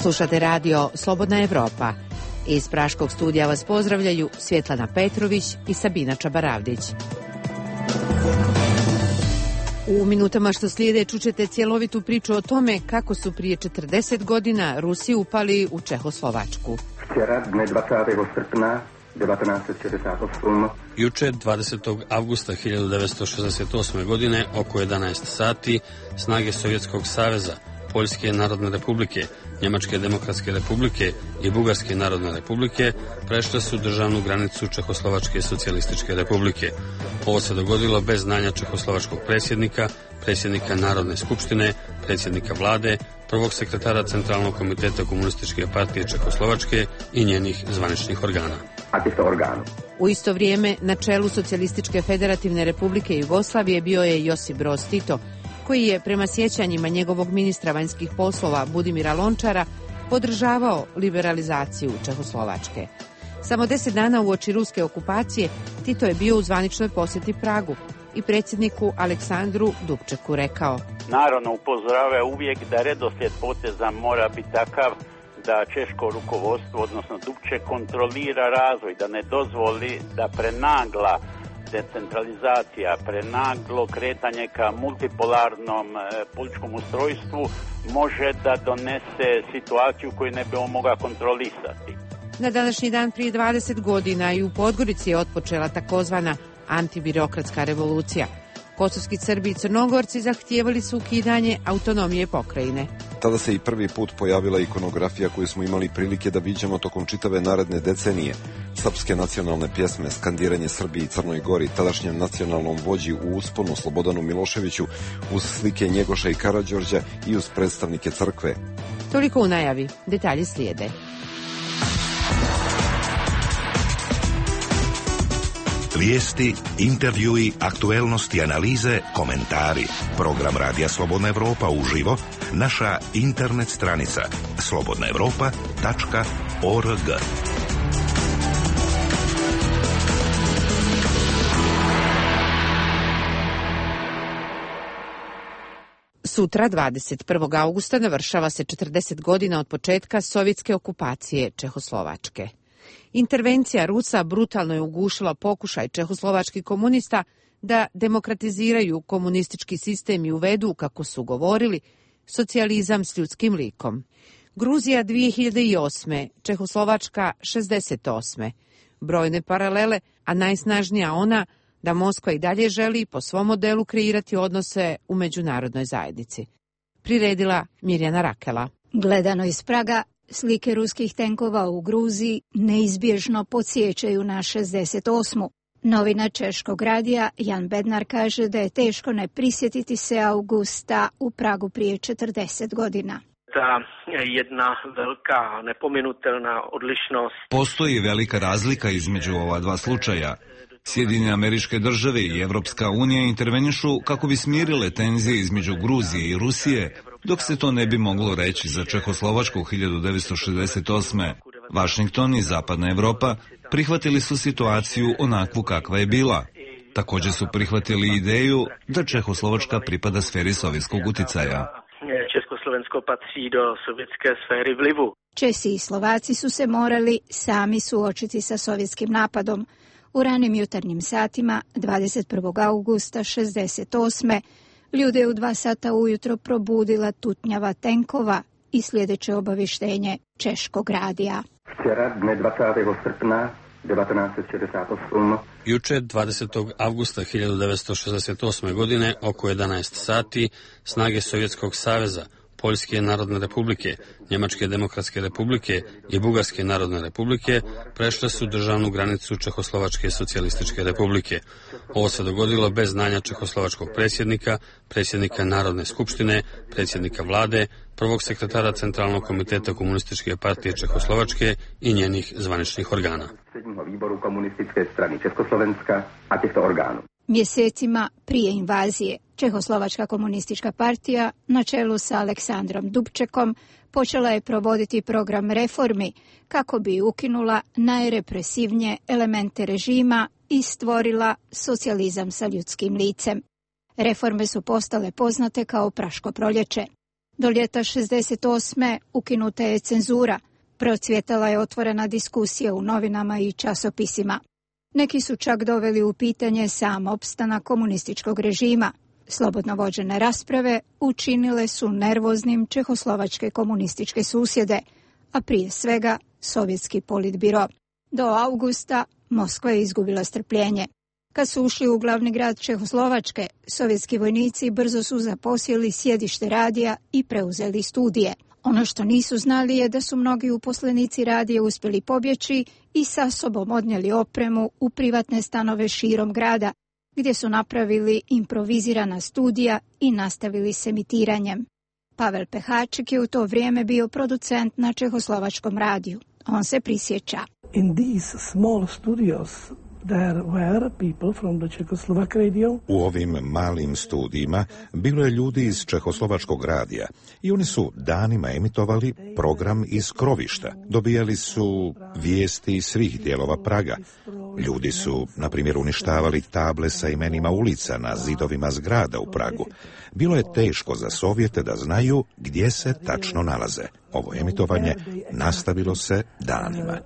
Slušate radio Slobodna Evropa. Iz praškog studija vas pozdravljaju Svjetlana Petrović i Sabina Čabaravdić. U minutama što slijede čućete cjelovitu priču o tome kako su prije 40 godina Rusi upali u Čehoslovačku. Juče, 20. avgusta 1968. godine, oko 11 sati, snage Sovjetskog saveza, Poljske narodne republike, Njemačke demokratske republike i Bugarske narodne republike prešle su državnu granicu Čehoslovačke socijalističke republike. Ovo se dogodilo bez znanja čehoslovačkog predsjednika Narodne skupštine, predsjednika vlade, prvog sekretara Centralnog komiteta Komunističke partije Čehoslovačke i njenih zvaničnih organa. U isto vrijeme na čelu Socijalističke federativne republike Jugoslavije bio je Josip Broz Tito, koji je prema sjećanjima njegovog ministra vanjskih poslova Budimira Lončara podržavao liberalizaciju Čehoslovačke. Samo 10 dana uoči ruske okupacije Tito je bio u zvaničnoj posjeti Pragu i predsjedniku Aleksandru Dubčeku rekao: Naravno upozorava uvijek da redoslijed poteza mora biti takav da češko rukovodstvo, odnosno Dubček, kontrolira razvoj, da ne dozvoli da prenagla decentralizacija, prenaglo kretanje ka multipolarnom političkom ustrojstvu može da donese situaciju koju ne bi on mogao kontrolisati. Na današnji dan prije 20 godina i u Podgorici je otpočela takozvana antibirokratska revolucija. Kosovski Srbi i Crnogorci zahtijevali su ukidanje autonomije pokrajine. Tada se i prvi put pojavila ikonografija koju smo imali prilike da viđamo tokom čitave naredne decenije. Srpske nacionalne pjesme, skandiranje Srbiji i Crnoj Gori, tadašnjem nacionalnom vođi u usponu Slobodanu Miloševiću, uz slike Njegoša i Karađorđa i uz predstavnike crkve. Toliko u najavi, detalji slijede. Vijesti, intervjui, aktuelnosti, analize, komentari. Program Radija Slobodna Evropa uživo, naša internet stranica slobodnaevropa.org. Sutra, 21. augusta, navršava se 40 godina od početka sovjetske okupacije Čehoslovačke. Intervencija Rusa brutalno je ugušila pokušaj čehoslovačkih komunista da demokratiziraju komunistički sistem i uvedu, kako su govorili, socijalizam s ljudskim likom. Gruzija 2008. Čehoslovačka 68. Brojne paralele, a najsnažnija ona da Moskva i dalje želi po svom modelu kreirati odnose u međunarodnoj zajednici. Priredila Mirjana Rakela. Gledano iz Praga, slike ruskih tenkova u Gruziji neizbježno podsjećaju na 68. Novinar češkog radija Jan Bednar kaže da je teško ne prisjetiti se avgusta u Pragu prije 40 godina. Ta jedna velika nepominutelna odlišnost. Postoji velika razlika između ova dva slučaja. Sjedinjene Američke Države i Evropska unija intervenišu kako bi smirile tenzije između Gruzije i Rusije, dok se to ne bi moglo reći za Čehoslovačku 1968. Vašington i Zapadna Evropa prihvatili su situaciju onakvu kakva je bila. Također su prihvatili ideju da Čehoslovačka pripada sferi sovjetskog uticaja. Československo patří do sovjetske sféry vlivu. Česi i Slovaci su se morali sami suočiti sa sovjetskim napadom. U ranim jutarnjim satima 21. augusta 68. ljude u 2 sata ujutro probudila tutnjava tenkova i sljedeće obavještenje češkog radija. Juče, 20. avgusta 1968. godine, oko 11 sati, snage Sovjetskog saveza, Poljske narodne republike, Njemačke demokratske republike i Bugarske narodne republike prešle su državnu granicu Čehoslovačke socijalističke republike. Ovo se dogodilo bez znanja čehoslovačkog predsjednika Narodne skupštine, predsjednika vlade, prvog sekretara Centralnog komiteta Komunističke partije Čehoslovačke i njenih zvaničnih organa. Mjesecima prije invazije, Čehoslovačka komunistička partija na čelu sa Aleksandrom Dubčekom počela je provoditi program reformi kako bi ukinula najrepresivnije elemente režima i stvorila socijalizam sa ljudskim licem. Reforme su postale poznate kao Praško proljeće. Do ljeta 68. ukinuta je cenzura. Procvjetala je otvorena diskusija u novinama i časopisima. Neki su čak doveli u pitanje sam opstanak komunističkog režima. Slobodno vođene rasprave učinile su nervoznim čehoslovačke komunističke susjede, a prije svega sovjetski politbiro. Do avgusta Moskva je izgubila strpljenje. Kad su ušli u glavni grad Čehoslovačke, sovjetski vojnici brzo su zaposjeli sjedište radija i preuzeli studije. Ono što nisu znali je da su mnogi uposlenici radija uspjeli pobjeći i sa sobom odnijeli opremu u privatne stanove širom grada, gdje su napravili improvizirana studija i nastavili s emitiranjem. Pavel Pehaček je u to vrijeme bio producent na čehoslovačkom radiju. On se prisjeća. In these small studios there were people from the Czechoslovak radio. U ovim malim studijima bilo je ljudi iz čehoslovačkog radija i oni su danima emitovali program iz krovišta. Dobijali su vijesti iz svih dijelova Praga. Ljudi su, na primjer, uništavali table sa imenima ulica na zidovima zgrada u Pragu. Bilo je teško za Sovjete da znaju gdje se tačno nalaze. Ovo emitovanje nastavilo se danima.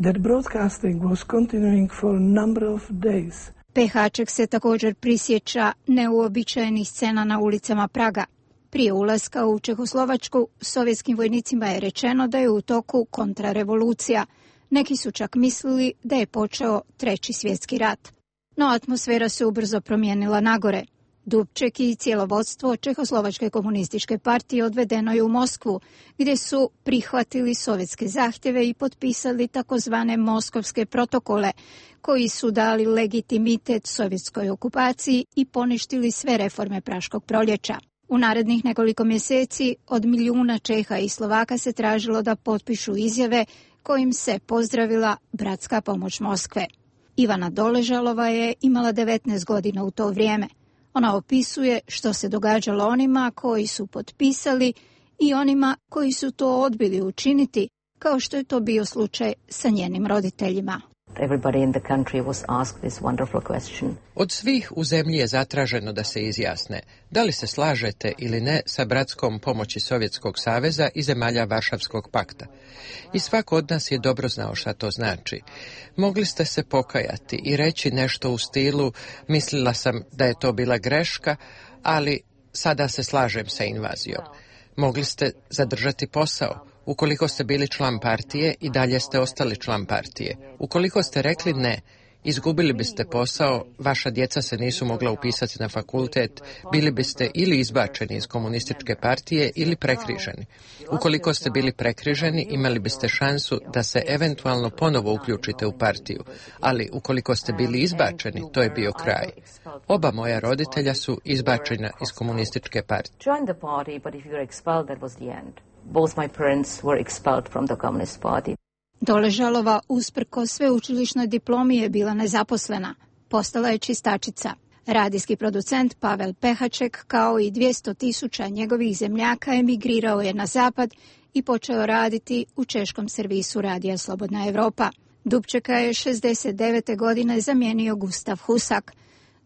That broadcasting was continuing for a number of days. Pehaček se također prisjeća neuobičajenih scena na ulicama Praga. Prije ulaska u Čehoslovačku, sovjetskim vojnicima je rečeno da je u toku kontrarevolucija. Neki su čak mislili da je počeo Treći svjetski rat. No atmosfera se ubrzo promijenila nagore. Dubček i cijelo vodstvo Čehoslovačke komunističke partije odvedeno je u Moskvu, gdje su prihvatili sovjetske zahtjeve i potpisali takozvane Moskovske protokole, koji su dali legitimitet sovjetskoj okupaciji i poništili sve reforme Praškog proljeća. U narednih nekoliko mjeseci od milijuna Čeha i Slovaka se tražilo da potpišu izjave kojim se pozdravila bratska pomoć Moskve. Ivana Doležalova je imala 19 godina u to vrijeme. Ona opisuje što se događalo onima koji su potpisali i onima koji su to odbili učiniti, kao što je to bio slučaj sa njenim roditeljima. Od svih u zemlji je zatraženo da se izjasne da li se slažete ili ne sa bratskom pomoći Sovjetskog saveza i zemalja Varšavskog pakta. I svako od nas je dobro znao šta to znači. Mogli ste se pokajati i reći nešto u stilu mislila sam da je to bila greška, ali sada se slažem sa invazijom. Mogli ste zadržati posao. Ukoliko ste bili član partije i dalje ste ostali član partije. Ukoliko ste rekli ne, izgubili biste posao, vaša djeca se nisu mogla upisati na fakultet, bili biste ili izbačeni iz komunističke partije ili prekriženi. Ukoliko ste bili prekriženi, imali biste šansu da se eventualno ponovo uključite u partiju, ali ukoliko ste bili izbačeni, to je bio kraj. Oba moja roditelja su izbačena iz komunističke partije. Both my parents were expelled from the Communist Party. Doležalova usprkos sveučilišnoj diplomi je bila nezaposlena. Postala je čistačica. Radijski producent Pavel Pehaček, kao i 200.000 njegovih zemljaka, emigrirao je na zapad i počeo raditi u češkom servisu radija Slobodna Evropa. Dubčeka je 69. godine zamijenio Gustav Husak.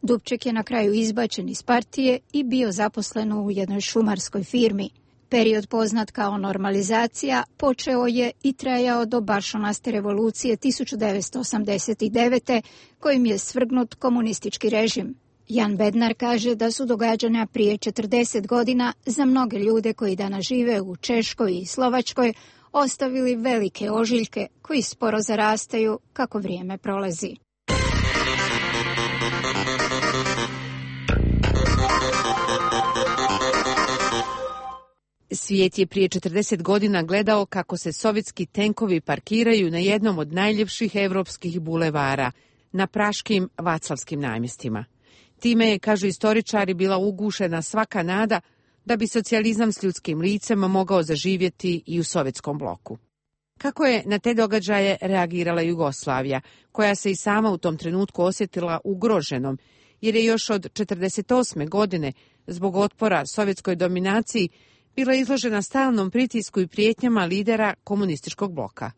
Dubček je na kraju izbačen iz partije i bio zaposlen u jednoj šumarskoj firmi. Period poznat kao normalizacija počeo je i trajao do Baršunaste revolucije 1989. kojim je svrgnut komunistički režim. Jan Bednar kaže da su događanja prije 40 godina za mnoge ljude koji danas žive u Češkoj i Slovačkoj ostavili velike ožiljke koji sporo zarastaju kako vrijeme prolazi. Svijet je prije 40 godina gledao kako se sovjetski tenkovi parkiraju na jednom od najljepših evropskih bulevara, na praškim Vaclavskim namjestima. Time je, kažu istoričari, bila ugušena svaka nada da bi socijalizam s ljudskim licem mogao zaživjeti i u sovjetskom bloku. Kako je na te događaje reagirala Jugoslavija, koja se i sama u tom trenutku osjetila ugroženom, jer je još od 1948. godine zbog otpora sovjetskoj dominaciji bila izložena stalnom pritisku i prijetnjama lidera komunističkog bloka.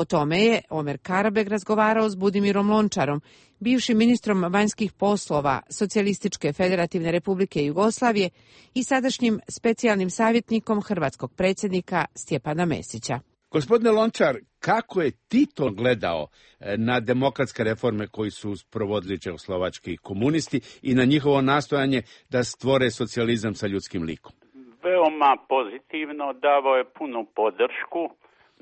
O tome je Omer Karabeg razgovarao s Budimirom Lončarom, bivšim ministrom vanjskih poslova Socijalističke federativne republike Jugoslavije i sadašnjim specijalnim savjetnikom hrvatskog predsjednika Stjepana Mesića. Gospodine Lončar, kako je Tito gledao na demokratske reforme koji su sprovodili čehoslovački komunisti i na njihovo nastojanje da stvore socijalizam sa ljudskim likom? Veoma pozitivno, davao je punu podršku.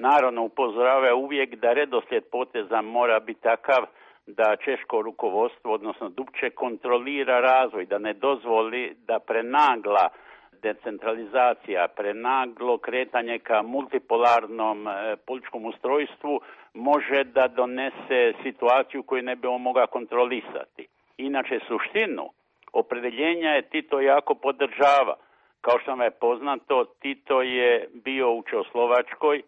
Naravno, upozoravao uvijek da redoslijed poteza mora biti takav da češko rukovodstvo, odnosno Dubček, kontrolira razvoj, da ne dozvoli da prenagla decentralizacija, prenaglo kretanje ka multipolarnom političkom ustrojstvu može da donese situaciju koju ne bi on mogao kontrolisati. Inače, suštinu opredeljenja je Tito jako podržava. Kao što vam je poznato, Tito je bio u Čehoslovačkoj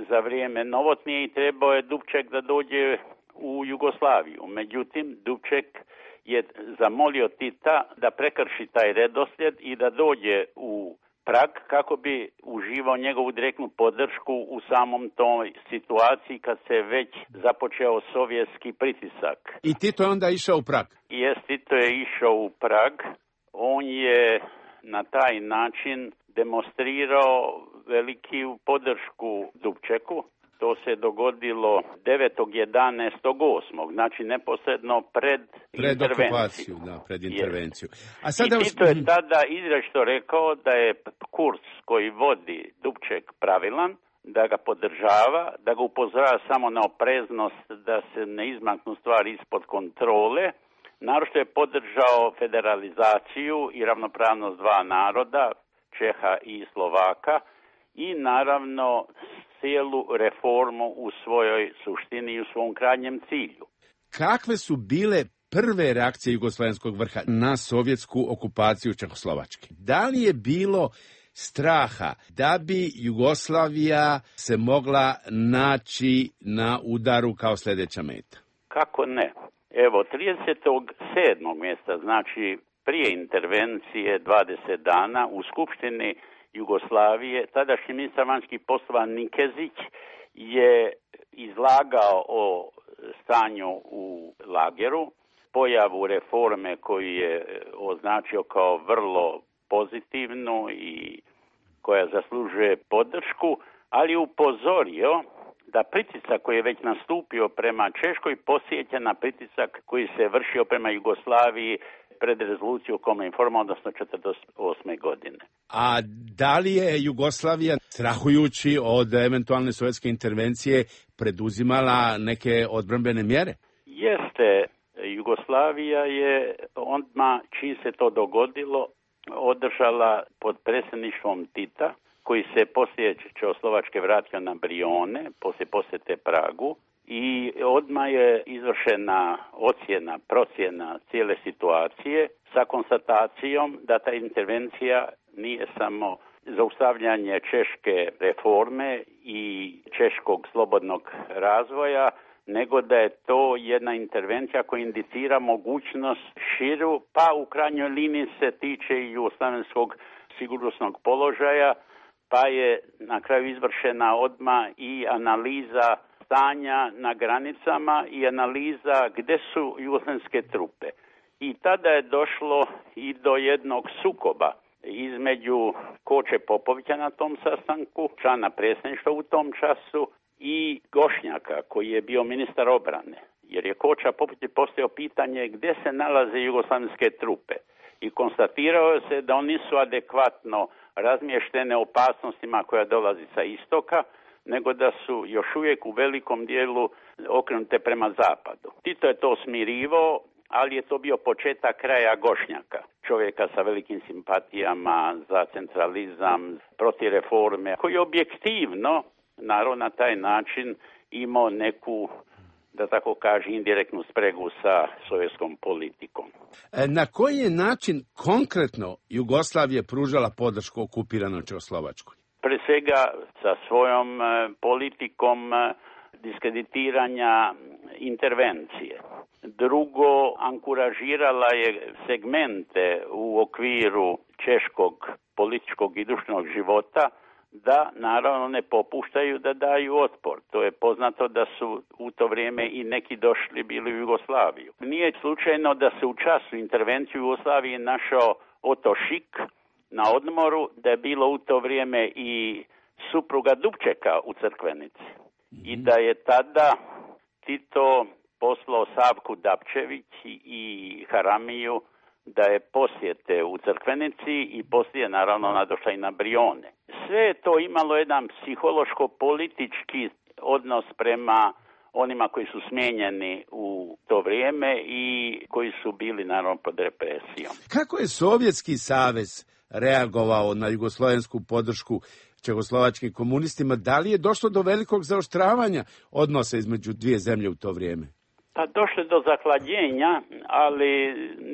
za vrijeme novotnije i trebao je Dubček da dođe u Jugoslaviju. Međutim, Dubček je zamolio Tita da prekrši taj redoslijed i da dođe u Prag kako bi uživao njegovu direktnu podršku u samom toj situaciji kad se već započeo sovjetski pritisak. I Tito je onda išao u Prag? Tito je išao u Prag. On je na taj način demonstrirao veliku podršku Dubčeku. To se dogodilo 9.11.8. Znači neposredno pred intervenciju. Pred intervenciju. A sada I Tito je tada izrečito rekao da je kurs koji vodi Dubček pravilan, da ga podržava, da ga upozorava samo na opreznost da se ne izmaknu stvari ispod kontrole. Naročito je podržao federalizaciju i ravnopravnost dva naroda, Čeha i Slovaka, i naravno cijelu reformu u svojoj suštini i u svom krajnjem cilju. Kakve su bile prve reakcije jugoslavenskog vrha na sovjetsku okupaciju Čehoslovačke? Da li je bilo straha da bi Jugoslavija se mogla naći na udaru kao sljedeća meta? Kako ne? Evo, 37. mjesta, znači prije intervencije 20 dana u Skupštini Jugoslavije, tadašnji ministar vanjskih poslova Nikezić je izlagao o stanju u lageru, pojavu reforme koju je označio kao vrlo pozitivnu i koja zaslužuje podršku, ali upozorio da pritisak koji je već nastupio prema Češkoj posjeća na pritisak koji se vršio prema Jugoslaviji pred rezoluciju o kome je informao, odnosno 1948. godine. A da li je Jugoslavija, strahujući od eventualne sovjetske intervencije, preduzimala neke odbrambene mjere? Jeste. Jugoslavija je odmah, čim se to dogodilo, održala pod predsjedništvom Tita, koji se poslije Čehoslovačke vratio na Brione, poslije posjete Pragu, i odmah je izvršena procjena cijele situacije sa konstatacijom da ta intervencija nije samo zaustavljanje češke reforme i češkog slobodnog razvoja, nego da je to jedna intervencija koja indicira mogućnost širu, pa u krajnjoj liniji se tiče i jugoslavenskog sigurnosnog položaja, pa je na kraju izvršena odmah i analiza stanja na granicama i analiza gdje su jugoslavenske trupe. I tada je došlo i do jednog sukoba između Koče Popovića na tom sastanku, člana predsjedništva u tom času, i Gošnjaka koji je bio ministar obrane. Jer je Koča Popović postavio pitanje gdje se nalaze jugoslavenske trupe. I konstatirao se da oni nisu adekvatno razmještene opasnostima koja dolazi sa istoka, nego da su još uvijek u velikom dijelu okrenute prema zapadu. Tito je to smirivao, ali je to bio početak kraja Gošnjaka, čovjeka sa velikim simpatijama za centralizam, protiv reforme, koji objektivno, naravno na taj način, imao neku, da tako kaže, indirektnu spregu sa sovjetskom politikom. Na koji je način konkretno Jugoslavija pružala podršku okupiranoj Čehoslovačkoj? Pre svega sa svojom politikom diskreditiranja intervencije. Drugo, ankuražirala je segmente u okviru češkog političkog i društvenog života da naravno ne popuštaju da daju otpor. To je poznato da su u to vrijeme i neki došli bili u Jugoslaviju. Nije slučajno da se u času intervencije u Jugoslaviji našao Oto Šik na odmoru, da je bilo u to vrijeme i supruga Dubčeka u Crkvenici. I da je tada Tito poslao Savku Dapčević i Haramiju da je posjete u Crkvenici i poslije naravno nadošla i na Brione. Sve je to imalo jedan psihološko-politički odnos prema onima koji su smijenjeni u to vrijeme i koji su bili naravno pod represijom. Kako je Sovjetski savez reagovao na jugoslovensku podršku čehoslovačkim komunistima? Da li je došlo do velikog zaoštravanja odnosa između dvije zemlje u to vrijeme? Pa došlo do zahlađenja, ali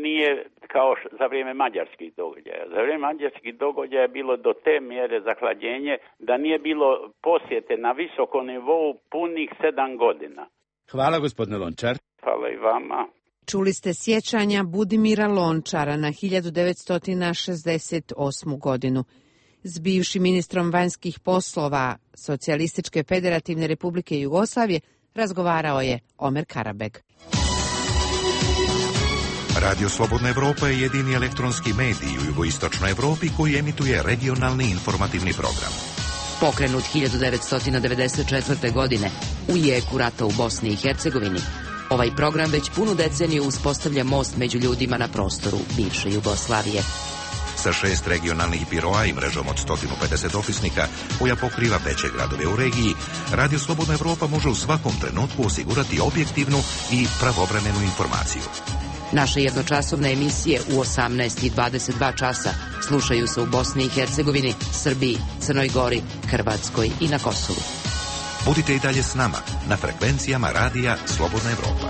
nije kao za vrijeme mađarskih događaja. Za vrijeme mađarskih događaja je bilo do te mjere zahlađenje da nije bilo posjete na visokom nivou punih 7 godina. Hvala, gospodine Lončar. Hvala i vama. Čuli ste sjećanja Budimira Lončara na 1968. godinu. S bivšim ministrom vanjskih poslova Socijalističke federativne republike Jugoslavije razgovarao je Omer Karabeg. Radio Slobodna Evropa je jedini elektronski medij u jugoistočnoj Evropi koji emituje regionalni informativni program. Pokrenut 1994. godine u jeku rata u Bosni i Hercegovini, ovaj program već punu deceniju uspostavlja most među ljudima na prostoru bivše Jugoslavije. Sa 6 regionalnih biroa i mrežom od 150 ofisnika koja pokriva veće gradove u regiji, Radio Slobodna Evropa može u svakom trenutku osigurati objektivnu i pravovremenu informaciju. Naše jednočasovne emisije u 18 i 22 časa slušaju se u Bosni i Hercegovini, Srbiji, Crnoj Gori, Hrvatskoj i na Kosovu. Budite i dalje s nama na frekvencijama Radija Slobodna Evropa.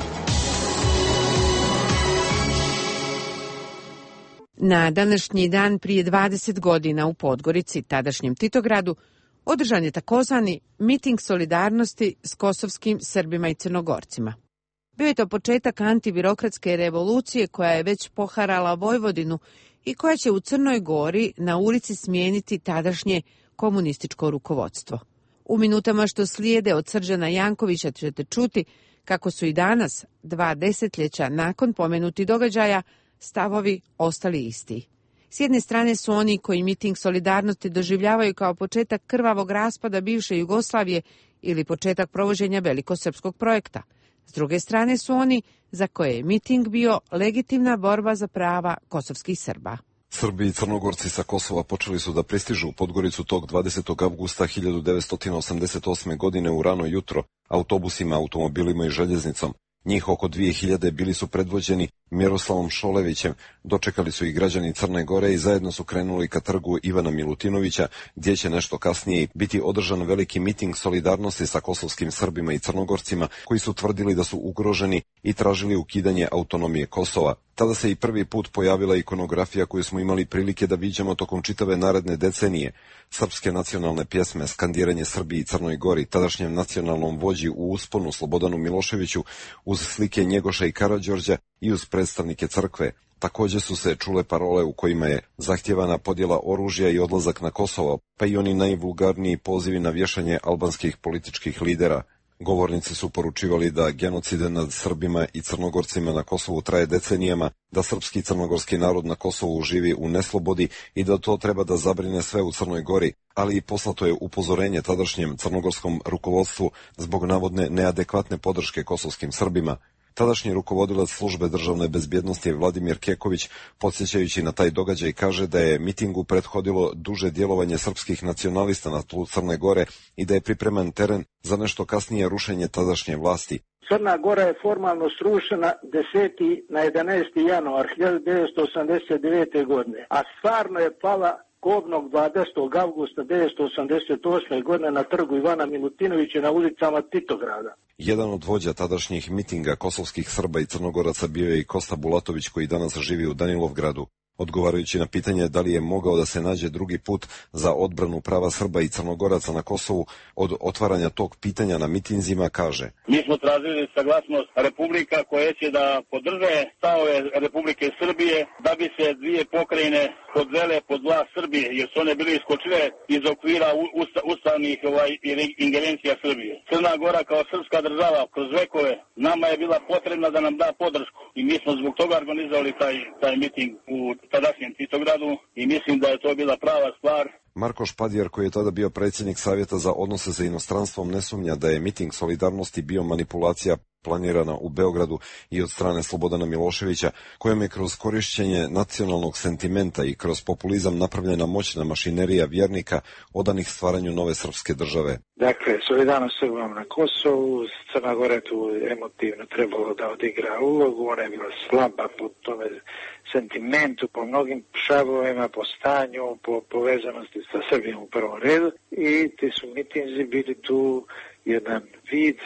Na današnji dan prije 20 godina u Podgorici, tadašnjem Titogradu, održan je takozvani miting solidarnosti s kosovskim Srbima i Crnogorcima. Bio je to početak antibirokratske revolucije koja je već poharala Vojvodinu i koja će u Crnoj Gori na ulici smijeniti tadašnje komunističko rukovodstvo. U minutama što slijede od Srđana Jankovića ćete čuti kako su i danas, 2 desetljeća nakon pomenuti događaja, stavovi ostali isti. S jedne strane su oni koji miting solidarnosti doživljavaju kao početak krvavog raspada bivše Jugoslavije ili početak provođenja velikosrpskog projekta. S druge strane su oni za koje je miting bio legitimna borba za prava kosovskih Srba. Srbi i Crnogorci sa Kosova počeli su da pristižu u Podgoricu tog 20. avgusta 1988. godine u rano jutro autobusima, automobilima i željeznicom. Njih oko 2000 bili su predvođeni Miroslavom Šolevićem, dočekali su i građani Crne Gore i zajedno su krenuli ka trgu Ivana Milutinovića, gdje će nešto kasnije biti održan veliki miting solidarnosti sa kosovskim Srbima i Crnogorcima, koji su tvrdili da su ugroženi i tražili ukidanje autonomije Kosova. Tada se i prvi put pojavila ikonografija koju smo imali prilike da viđamo tokom čitave naredne decenije. Srpske nacionalne pjesme, skandiranje Srbiji i Crnoj Gori, tadašnjem nacionalnom vođi u usponu Slobodanu Miloševiću, uz slike Njegoša i Karađorđa i uz predstavnike crkve. Također su se čule parole u kojima je zahtjevana podjela oružja i odlazak na Kosovo, pa i oni najvulgarniji pozivi na vješanje albanskih političkih lidera. Govornici su poručivali da genocide nad Srbima i Crnogorcima na Kosovu traje decenijama, da srpski i crnogorski narod na Kosovu živi u neslobodi i da to treba da zabrine sve u Crnoj Gori, ali i poslato je upozorenje tadašnjem crnogorskom rukovodstvu zbog navodne neadekvatne podrške kosovskim Srbima. Tadašnji rukovodilac službe državne bezbjednosti Vladimir Keković, podsjećajući na taj događaj, kaže da je mitingu prethodilo duže djelovanje srpskih nacionalista na tlu Crne Gore i da je pripreman teren za nešto kasnije rušenje tadašnje vlasti. Crna Gora je formalno srušena 10. na 11. januar 1989. godine, a stvarno je pala kobnog 20. avgusta 1988. godine na trgu Ivana Milutinovića na ulicama Titograda. Jedan od vođa tadašnjih mitinga kosovskih Srba i Crnogoraca bio je i Kosta Bulatović, koji danas živi u Danilovgradu. Odgovarajući na pitanje da li je mogao da se nađe drugi put za odbranu prava Srba i Crnogoraca na Kosovu od otvaranja tog pitanja na mitinzima, kaže: Mi smo tražili saglasnost republika koje će da podrže stavove Republike Srbije da bi se dvije pokrajine podvele pod vlast Srbije, jer su one bile iskočile iz okvira ustavnih ingerencija Srbije. Crna Gora kao srpska država kroz vekove nama je bila potrebna da nam da podršku i mi smo zbog toga organizovali taj miting u tadašnjem Titogradu i mislim da je to bila prava stvar. Marko Špadjer, koji je tada bio predsjednik Savjeta za odnose sa inostranstvom, ne sumnja da je miting solidarnosti bio manipulacija planirana u Beogradu i od strane Slobodana Miloševića, kojom je kroz korišćenje nacionalnog sentimenta i kroz populizam napravljena moćna mašinerija vjernika odanih stvaranju nove srpske države. Dakle, solidarnost Srbom na Kosovu, Crna Gora tu emotivno trebalo da odigra ulogu, ona je bila slaba po tome sentimentu, po mnogim šavovima, po stanju, po povezanosti sa Srbijom u prvom redu i ti su mitinzi bili tu jedan vid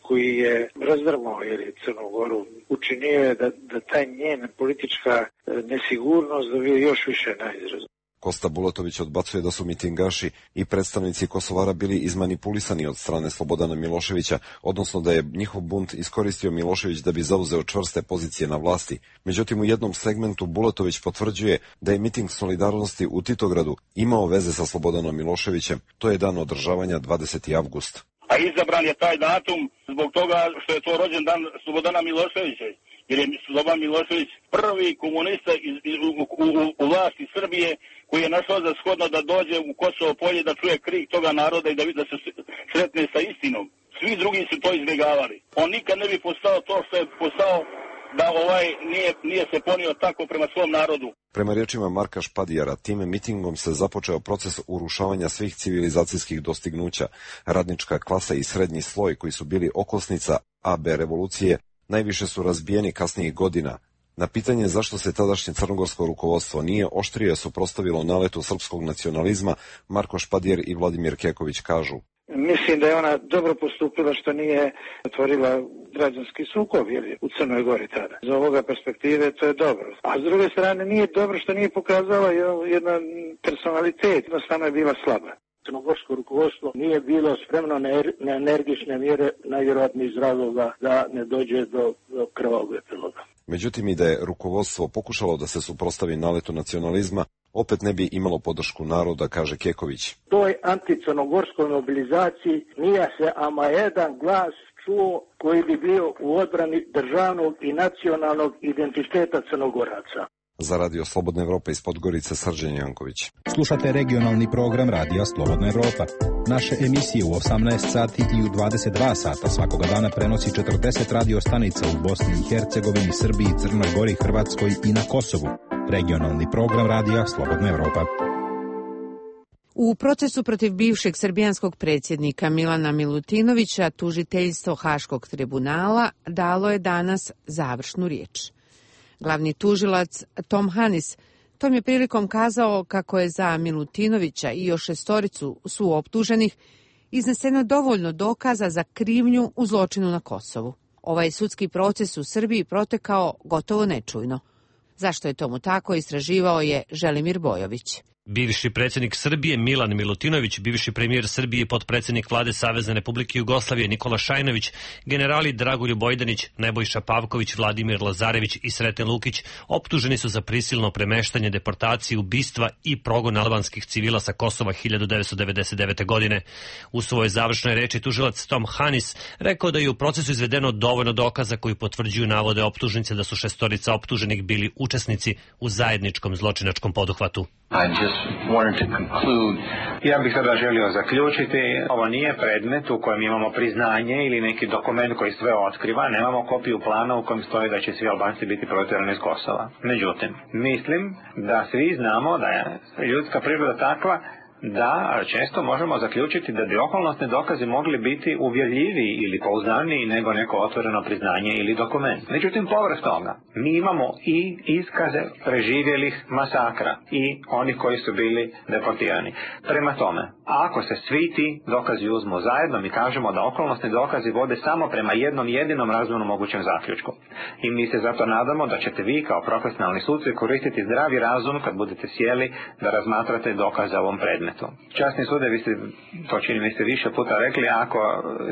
koji je razdrmao Crnu Goru, učinio je da taj njen politička nesigurnost dobije još više na izrazu. Kosta Bulatović odbacuje da su mitingaši i predstavnici Kosovara bili izmanipulisani od strane Slobodana Miloševića, odnosno da je njihov bunt iskoristio Milošević da bi zauzeo čvrste pozicije na vlasti. Međutim, u jednom segmentu Bulatović potvrđuje da je miting solidarnosti u Titogradu imao veze sa Slobodanom Miloševićem. To je dan održavanja 20. avgust. A izabran je taj datum zbog toga što je to rođen dan Slobodana Miloševića, jer je Slobodan Milošević prvi komunista u vlasti Srbije koji je našao za shodno da dođe u Kosovo polje da čuje krik toga naroda i da se sretne sa istinom. Svi drugi su to izbjegavali. On nikad ne bi postao to što je postao da nije se ponio tako prema svom narodu. Prema riječima Marka Špadijara, tim mitingom se započeo proces urušavanja svih civilizacijskih dostignuća. Radnička klasa i srednji sloj, koji su bili okosnica AB revolucije, najviše su razbijeni kasnijih godina. Na pitanje zašto se tadašnje crnogorsko rukovodstvo nije oštrije suprotstavilo naletu srpskog nacionalizma, Marko Špadijer i Vladimir Keković kažu: Mislim da je ona dobro postupila što nije otvorila građanski sukob u Crnoj Gori tada. Iz ovoga perspektive to je dobro. A s druge strane nije dobro što nije pokazala jedan personalitet, jednostavno je bila slaba. Crnogorsko rukovodstvo nije bilo spremno na energične mjere, najvjerojatnije iz razloga da ne dođe do krvavog epiloga. Međutim, i da je rukovodstvo pokušalo da se suprotstavi naletu nacionalizma, opet ne bi imalo podršku naroda, kaže Keković. Toj anticrnogorskoj mobilizaciji nije se ama jedan glas čuo koji bi bio u odbrani državnog i nacionalnog identiteta Crnogoraca. Za Radio Slobodna Evropa iz Podgorice, Srđan Janković. Slušate regionalni program Radija Slobodna Evropa. Naše emisije u 18 sati i u 22 sata svakoga dana prenosi 40 radio stanica u Bosni i Hercegovini, Srbiji, Crnoj Gori, Hrvatskoj i na Kosovu. Regionalni program Radija Slobodna Evropa. U procesu protiv bivšeg srbijanskog predsjednika Milana Milutinovića tužiteljstvo Haškog tribunala dalo je danas završnu riječ. Glavni tužilac Tom Hanis tom je prilikom kazao kako je za Milutinovića i još 6 suoptuženih izneseno dovoljno dokaza za krivnju u zločinu na Kosovu. Ovaj sudski proces u Srbiji protekao gotovo nečujno. Zašto je tomu tako, istraživao je Želimir Bojović. Bivši predsjednik Srbije Milan Milutinović, bivši premijer Srbije i potpredsjednik vlade Savezne Republike Jugoslavije Nikola Šajnović, generali Dragoljub Bojdanić, Nebojša Pavković, Vladimir Lazarević i Sreten Lukić optuženi su za prisilno premeštanje, deportaciju, ubistva i progon albanskih civila sa Kosova 1999. godine. U svojoj završnoj reči tužilac Tom Hanis rekao da je u procesu izvedeno dovoljno dokaza koji potvrđuju navode optužnice da su 6 optuženih bili učesnici u zajedničkom zločinačkom poduhvatu. Ja bih sada želio zaključiti, ovo nije predmet u kojem imamo priznanje ili neki dokument koji sve otkriva, nemamo kopiju plana u kojem stoji da će svi Albanci biti protjerani iz Kosova. Međutim, mislim da svi znamo da je ljudska priroda takva da često možemo zaključiti da bi okolnosni dokazi mogli biti uvjerljiviji ili pouzdaniji nego neko otvoreno priznanje ili dokument. Međutim, povrh toga, mi imamo i iskaze preživjelih masakra i onih koji su bili deportirani. Prema tome, ako se svi ti dokazi uzmu zajedno, mi kažemo da okolnosni dokazi vode samo prema jednom jedinom razumnom mogućem zaključku. I mi se zato nadamo da ćete vi kao profesionalni suci koristiti zdravi razum kad budete sjeli da razmatrate dokaze ovom predmetu. Časni sude, vi ste, to čini mi se više puta rekli, ako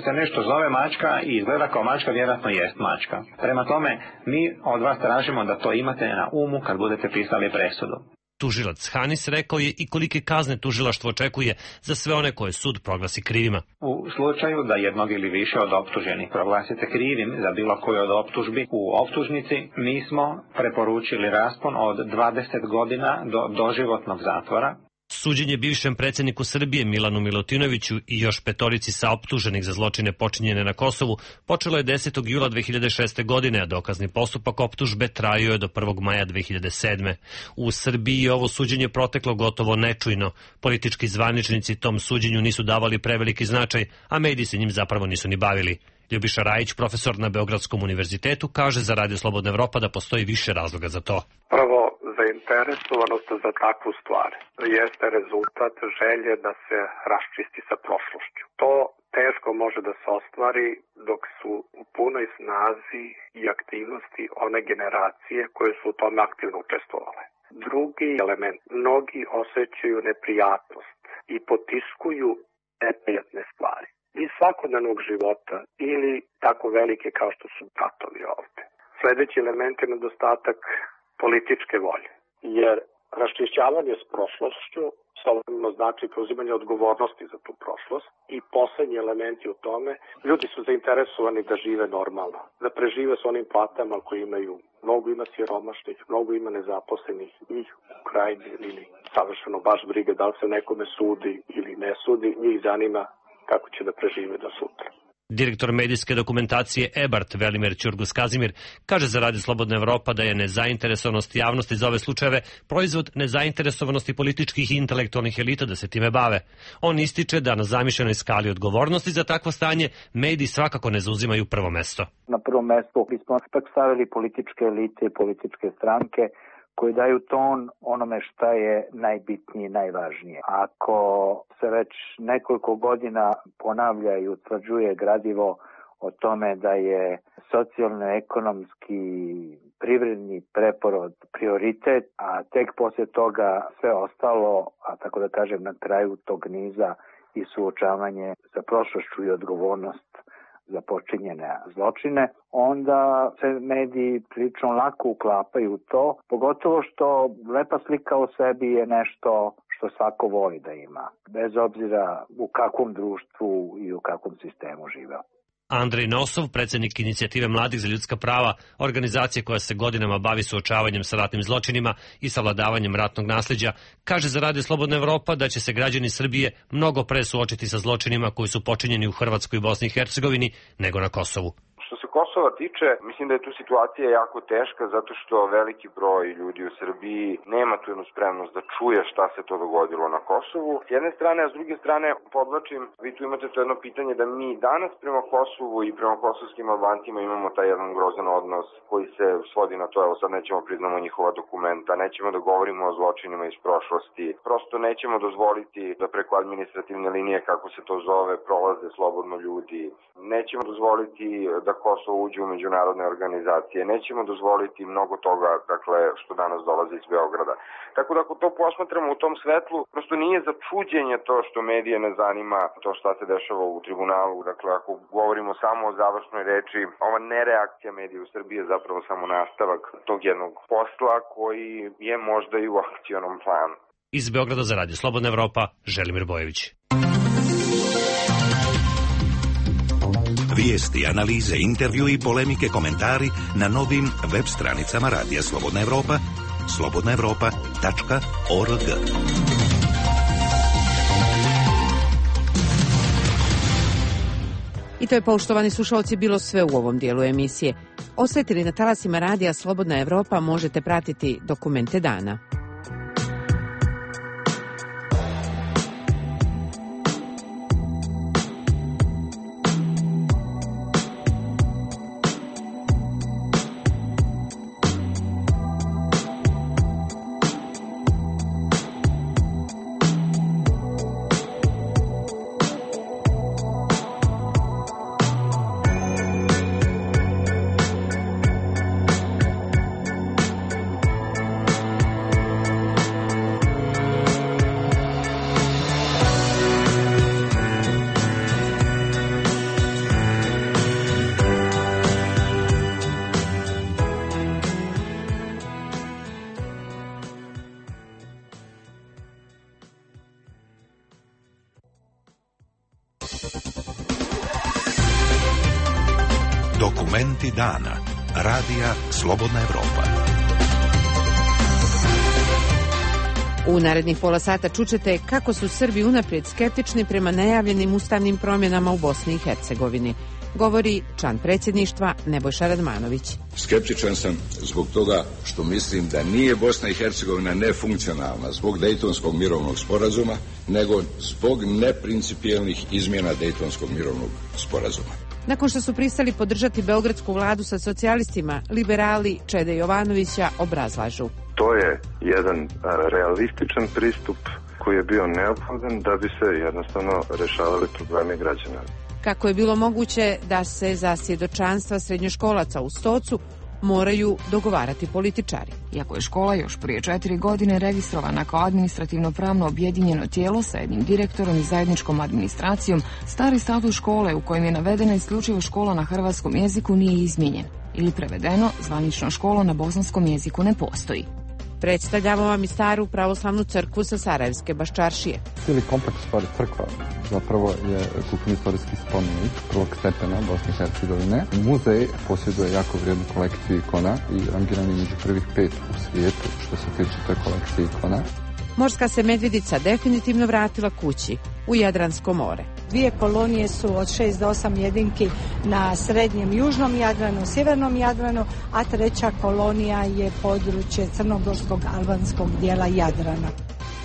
se nešto zove mačka i izgleda kao mačka, vjerojatno jest mačka. Prema tome, mi od vas tražimo da to imate na umu kad budete pisali presudu. Tužilac Hanis rekao je i kolike kazne tužilaštvo očekuje za sve one koje sud proglasi krivima. U slučaju da jednog ili više od optuženih proglasite krivim za bilo koju od optužbi u optužnici, mi smo preporučili raspon od 20 godina do doživotnog zatvora. Suđenje bivšem predsjedniku Srbije Milanu Milutinoviću i još 5 saoptuženih za zločine počinjene na Kosovu počelo je 10. jula 2006. godine, a dokazni postupak optužbe trajao je do 1. maja 2007. U Srbiji ovo suđenje proteklo gotovo nečujno. Politički zvaničnici tom suđenju nisu davali preveliki značaj, a mediji se njim zapravo nisu ni bavili. Ljubiša Rajić, profesor na Beogradskom univerzitetu, kaže za Radio Slobodna Evropa da postoji više razloga za to. Prvo, zainteresovanost za takvu stvar jeste rezultat želje da se raščisti sa prošlošću. To teško može da se ostvari dok su u punoj snazi i aktivnosti one generacije koje su u tome aktivno učestvovale. Drugi element, mnogi osjećaju neprijatnost i potiskuju neprijatne stvari iz svakodnevnog života ili tako velike kao što su ratovi ovde. Sljedeći element je nedostatak političke volje, jer raščišćavanje s prošlošću slobodno znači preuzimanje odgovornosti za tu prošlost i poslednji elementi u tome, ljudi su zainteresovani da žive normalno, da prežive s onim platama koje imaju. Mnogo ima siromašnih, mnogo ima nezaposlenih, njih u krajnji ili savršeno baš briga da li se nekome sudi ili ne sudi, njih zanima kako će da prežive do sutra. Direktor medijske dokumentacije EBART Velimir Ćurgus-Kazimir kaže za Radio Slobodna Evropa da je nezainteresovanost javnosti za ove slučajeve proizvod nezainteresovanosti političkih i intelektualnih elita da se time bave. On ističe da na zamišljenoj skali odgovornosti za takvo stanje mediji svakako ne zauzimaju prvo mesto. Na prvo mesto bismo ipak stavili političke elite i političke stranke koji daju ton onome šta je najbitnije i najvažnije. Ako se već nekoliko godina ponavlja i utvrđuje gradivo o tome da je socijalno-ekonomski privredni preporod prioritet, a tek poslije toga sve ostalo, a tako da kažem na kraju tog niza i suočavanje sa prošlošću i odgovornost za počinjene zločine, onda se mediji prilično lako uklapaju u to, pogotovo što lepa slika o sebi je nešto što svako voli da ima, bez obzira u kakvom društvu i u kakvom sistemu živeo. Andrej Nosov, predsjednik Inicijative mladih za ljudska prava, organizacije koja se godinama bavi suočavanjem sa ratnim zločinima i savladavanjem ratnog nasljeđa, kaže za Radio Slobodna Evropa da će se građani Srbije mnogo pre suočiti sa zločinima koji su počinjeni u Hrvatskoj i Bosni i Hercegovini nego na Kosovu. Što se Kosova tiče, mislim da je tu situacija jako teška zato što veliki broj ljudi u Srbiji nema tu jednu spremnost da čuje šta se to dogodilo na Kosovu. S jedne strane, a s druge strane, podvlačim, vi tu imate to jedno pitanje da mi danas prema Kosovu i prema kosovskim Albancima imamo taj jedan grozan odnos koji se svodi na to, evo sad nećemo priznamo njihova dokumenta, nećemo da govorimo o zločinima iz prošlosti, prosto nećemo dozvoliti da preko administrativne linije, kako se to zove, prolaze slobodno ljudi, nećemo dozvoliti da Kosovo uđe u međunarodne organizacije. Nećemo dozvoliti mnogo toga, dakle, što danas dolazi iz Beograda. Tako da ako to posmatramo u tom svetlu, prosto nije za čuđenje to što medije ne zanima to šta se dešava u tribunalu. Dakle, ako govorimo samo o završnoj reči, ova nereakcija medija u Srbiji je zapravo samo nastavak tog jednog posla koji je možda i u akcionom planu. Iz Beograda za Radio Slobodna Evropa, Želimir Bojević. Vijesti, analize, intervju i polemike, komentari na novim web stranicama Radija Slobodna Evropa, slobodnaevropa.org. I to je, poštovani slušalci, bilo sve u ovom dijelu emisije. Ostajte li na talasima Radija Slobodna Evropa, možete pratiti Dokumente dana. Dokumenti dana. Radija Slobodna Evropa. U narednih pola sata čućete kako su Srbi unaprijed skeptični prema najavljenim ustavnim promjenama u Bosni i Hercegovini. Govori član predsjedništva Nebojša Radmanović. Skeptičan sam zbog toga što mislim da nije Bosna i Hercegovina nefunkcionalna zbog Dejtonskog mirovnog sporazuma, nego zbog neprincipijelnih izmjena Dejtonskog mirovnog sporazuma. Nakon što su pristali podržati beogradsku vladu sa socijalistima, liberali Čede Jovanovića obrazlažu. To je jedan realističan pristup koji je bio neophodan da bi se jednostavno rešavali problemi građana. Kako je bilo moguće da se za svjedočanstva srednjoškolaca u Stocu moraju dogovarati političari. Iako je škola još prije 4 godine registrovana kao administrativno-pravno objedinjeno tijelo sa jednim direktorom i zajedničkom administracijom, stari statut škole u kojem je navedena isključivo škola na hrvatskom jeziku nije izmijenjen. Ili prevedeno, zvanično školo na bosanskom jeziku ne postoji. Predstavljamo vam i staru pravoslavnu crkvu sa Sarajevske Baščaršije. Cijeli kompleks stvari crkva zapravo je kulturno-istorijski spomenik prvog stepena Bosne i Hercegovine. Muzej posjeduje jako vrijednu kolekciju ikona i rangiran je među prvih 5 u svijetu što se tiče te kolekcije ikona. Morska se medvjedica definitivno vratila kući, u Jadransko more. 2 kolonije su od 6 do 8 jedinki na srednjem južnom Jadranu, sjevernom Jadranu, a 3. kolonija je područje crnogorskog albanskog dijela Jadrana.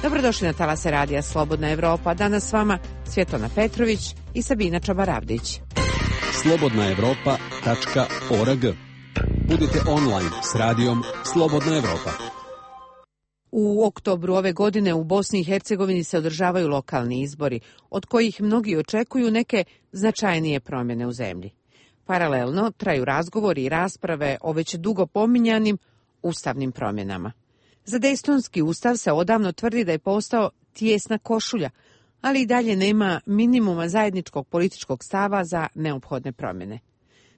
Dobrodošli na talase radija Slobodna Evropa. Danas s vama Svjetlana Petrović i Sabina Čabarabdić. slobodnaevropa.org. Budite online s radijom Slobodna Evropa. U oktobru ove godine u Bosni i Hercegovini se održavaju lokalni izbori, od kojih mnogi očekuju neke značajnije promjene u zemlji. Paralelno traju razgovori i rasprave o već dugo pominjanim ustavnim promjenama. Za Dejtonski ustav se odavno tvrdi da je postao tijesna košulja, ali i dalje nema minimuma zajedničkog političkog stava za neophodne promjene.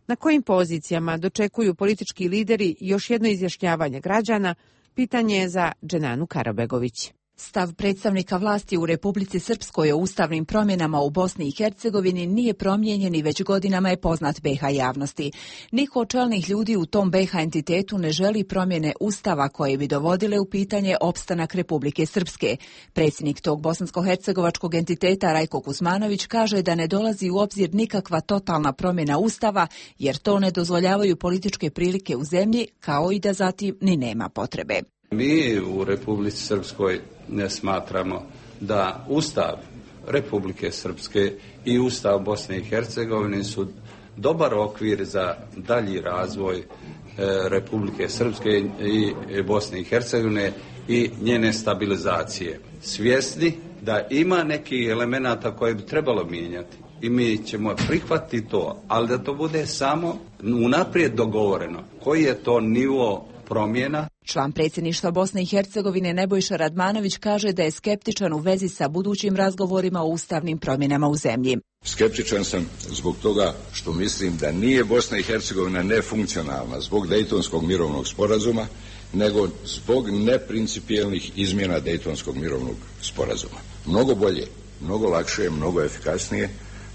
Na kojim pozicijama dočekuju politički lideri još jedno izjašnjavanje građana, pitanje je za Dženanu Karabegović. Stav predstavnika vlasti u Republici Srpskoj o ustavnim promjenama u Bosni i Hercegovini nije promijenjen i već godinama je poznat BiH javnosti. Niko od čelnih ljudi u tom BiH entitetu ne želi promjene ustava koje bi dovodile u pitanje opstanak Republike Srpske. Predsjednik tog bosansko-hercegovačkog entiteta Rajko Kuzmanović kaže da ne dolazi u obzir nikakva totalna promjena ustava jer to ne dozvoljavaju političke prilike u zemlji kao i da zatim ni nema potrebe. Mi u Republici Srpskoj ne smatramo da Ustav Republike Srpske i Ustav Bosne i Hercegovine su dobar okvir za dalji razvoj Republike Srpske i Bosne i Hercegovine i njene stabilizacije. Svjesni da ima nekih elemenata koje bi trebalo mijenjati i mi ćemo prihvatiti to, ali da to bude samo unaprijed dogovoreno. Koji je to nivo promjena? Član predsjedništva Bosne i Hercegovine Nebojša Radmanović kaže da je skeptičan u vezi sa budućim razgovorima o ustavnim promjenama u zemlji. Skeptičan sam zbog toga što mislim da nije Bosna i Hercegovina nefunkcionalna zbog Dejtonskog mirovnog sporazuma, nego zbog neprincipijelnih izmjena Dejtonskog mirovnog sporazuma. Mnogo bolje, mnogo lakše, mnogo efikasnije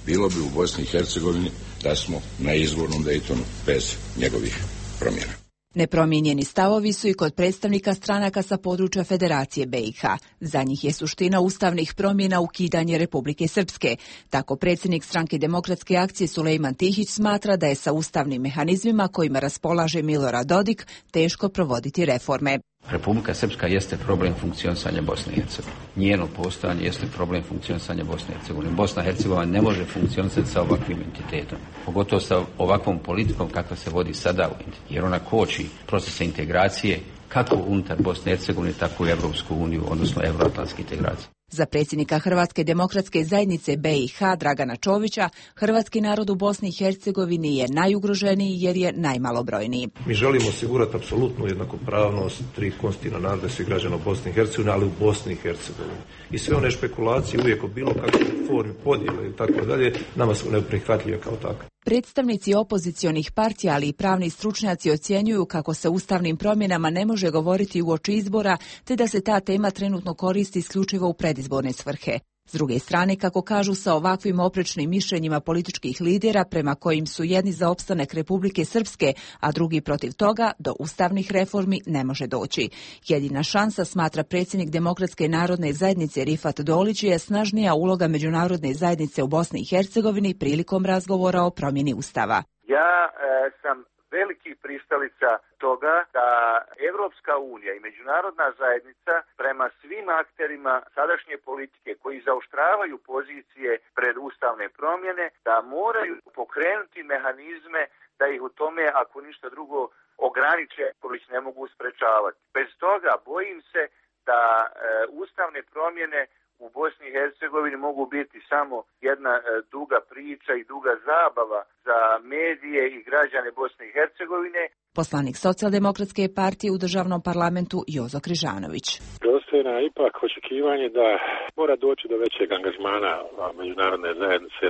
bilo bi u Bosni i Hercegovini da smo na izvornom Dejtonu bez njegovih promjena. Nepromijenjeni stavovi su i kod predstavnika stranaka sa područja Federacije BiH. Za njih je suština ustavnih promjena ukidanje Republike Srpske. Tako predsjednik stranke Demokratske akcije Sulejman Tihić smatra da je sa ustavnim mehanizmima kojima raspolaže Milorad Dodik teško provoditi reforme. Republika Srpska jeste problem funkcionisanja Bosne i Hercegovine. Njeno postojanje jeste problem funkcionisanja Bosne i Hercegovine. Bosna i Hercegovina ne može funkcionisati sa ovakvim entitetom. Pogotovo sa ovakvom politikom kakva se vodi sada u entitetu. Jer ona koči procese integracije kako unutar Bosne i Hercegovine, tako i Evropsku uniju, odnosno euroatlantske integracije. Za predsjednika Hrvatske demokratske zajednice BiH Dragana Čovića, hrvatski narod u Bosni i Hercegovini je najugroženiji jer je najmalobrojniji. Mi želimo osigurati apsolutnu jednakopravnost 3 konstitutivna naroda svih građana Bosne i Hercegovine, ali u Bosni i Hercegovini. I sve one špekulacije uvijek o bilo kakvoj formi podjele i tako dalje, nama su neprihvatljive kao takve. Predstavnici opozicionih partija, ali i pravni stručnjaci ocjenjuju kako se ustavnim promjenama ne može govoriti uoči izbora, te da se ta tema trenutno koristi isključivo u predizborne svrhe. S druge strane, kako kažu, sa ovakvim oprečnim mišljenjima političkih lidera prema kojim su jedni za opstanak Republike Srpske, a drugi protiv toga, do ustavnih reformi ne može doći. Jedina šansa, smatra predsjednik Demokratske narodne zajednice Rifat Dolić, je snažnija uloga međunarodne zajednice u Bosni i Hercegovini prilikom razgovora o promjeni ustava. Ja sam veliki pristalica toga da Evropska unija i međunarodna zajednica prema svim akterima sadašnje politike koji zaoštravaju pozicije pred ustavne promjene, da moraju pokrenuti mehanizme da ih u tome, ako ništa drugo, ograniče, koji ih ne mogu sprečavati. Bez toga bojim se da ustavne promjene u Bosni i Hercegovini mogu biti samo jedna duga priča i duga zabava za medije i građane Bosne i Hercegovine. Poslanik Socijaldemokratske partije u državnom parlamentu Jozo Križanović. Dostojna ipak očekivanje da mora doći do većeg angažmana međunarodne zajednice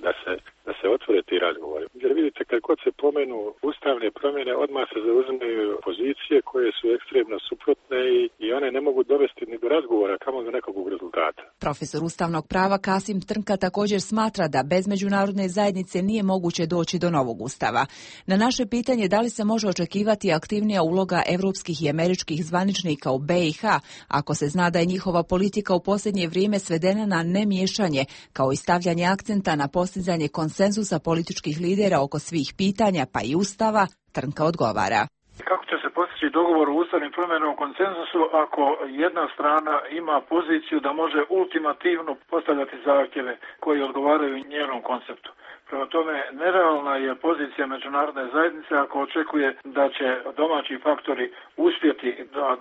da se otvore ti razgovori. Jer vidite, kad god se pomenu ustavne promjene, odmah se zauzimaju pozicije koje su ekstremno suprotne i one ne mogu dovesti ni do razgovora, kamo do nekog rezultata. Profesor ustavnog prava Kasim Trnka također smatra da bez međunarodne zajednice nije moguće doći do novog ustava. Na naše pitanje da li se može očekivati aktivnija uloga evropskih i američkih zvaničnika u BiH, ako se zna da je njihova politika u posljednje vrijeme svedena na nemiješanje, kao i stavljanje akcenta na postizanje konsenzusa političkih lidera oko svih pitanja, pa i ustava, Trnka odgovara. Kako će se postići dogovor u ustavnim promjenama o konsenzusu ako jedna strana ima poziciju da može ultimativno postavljati zahtjeve koji odgovaraju njenom konceptu? Prema tome, nerealna je pozicija međunarodne zajednice ako očekuje da će domaći faktori uspjeti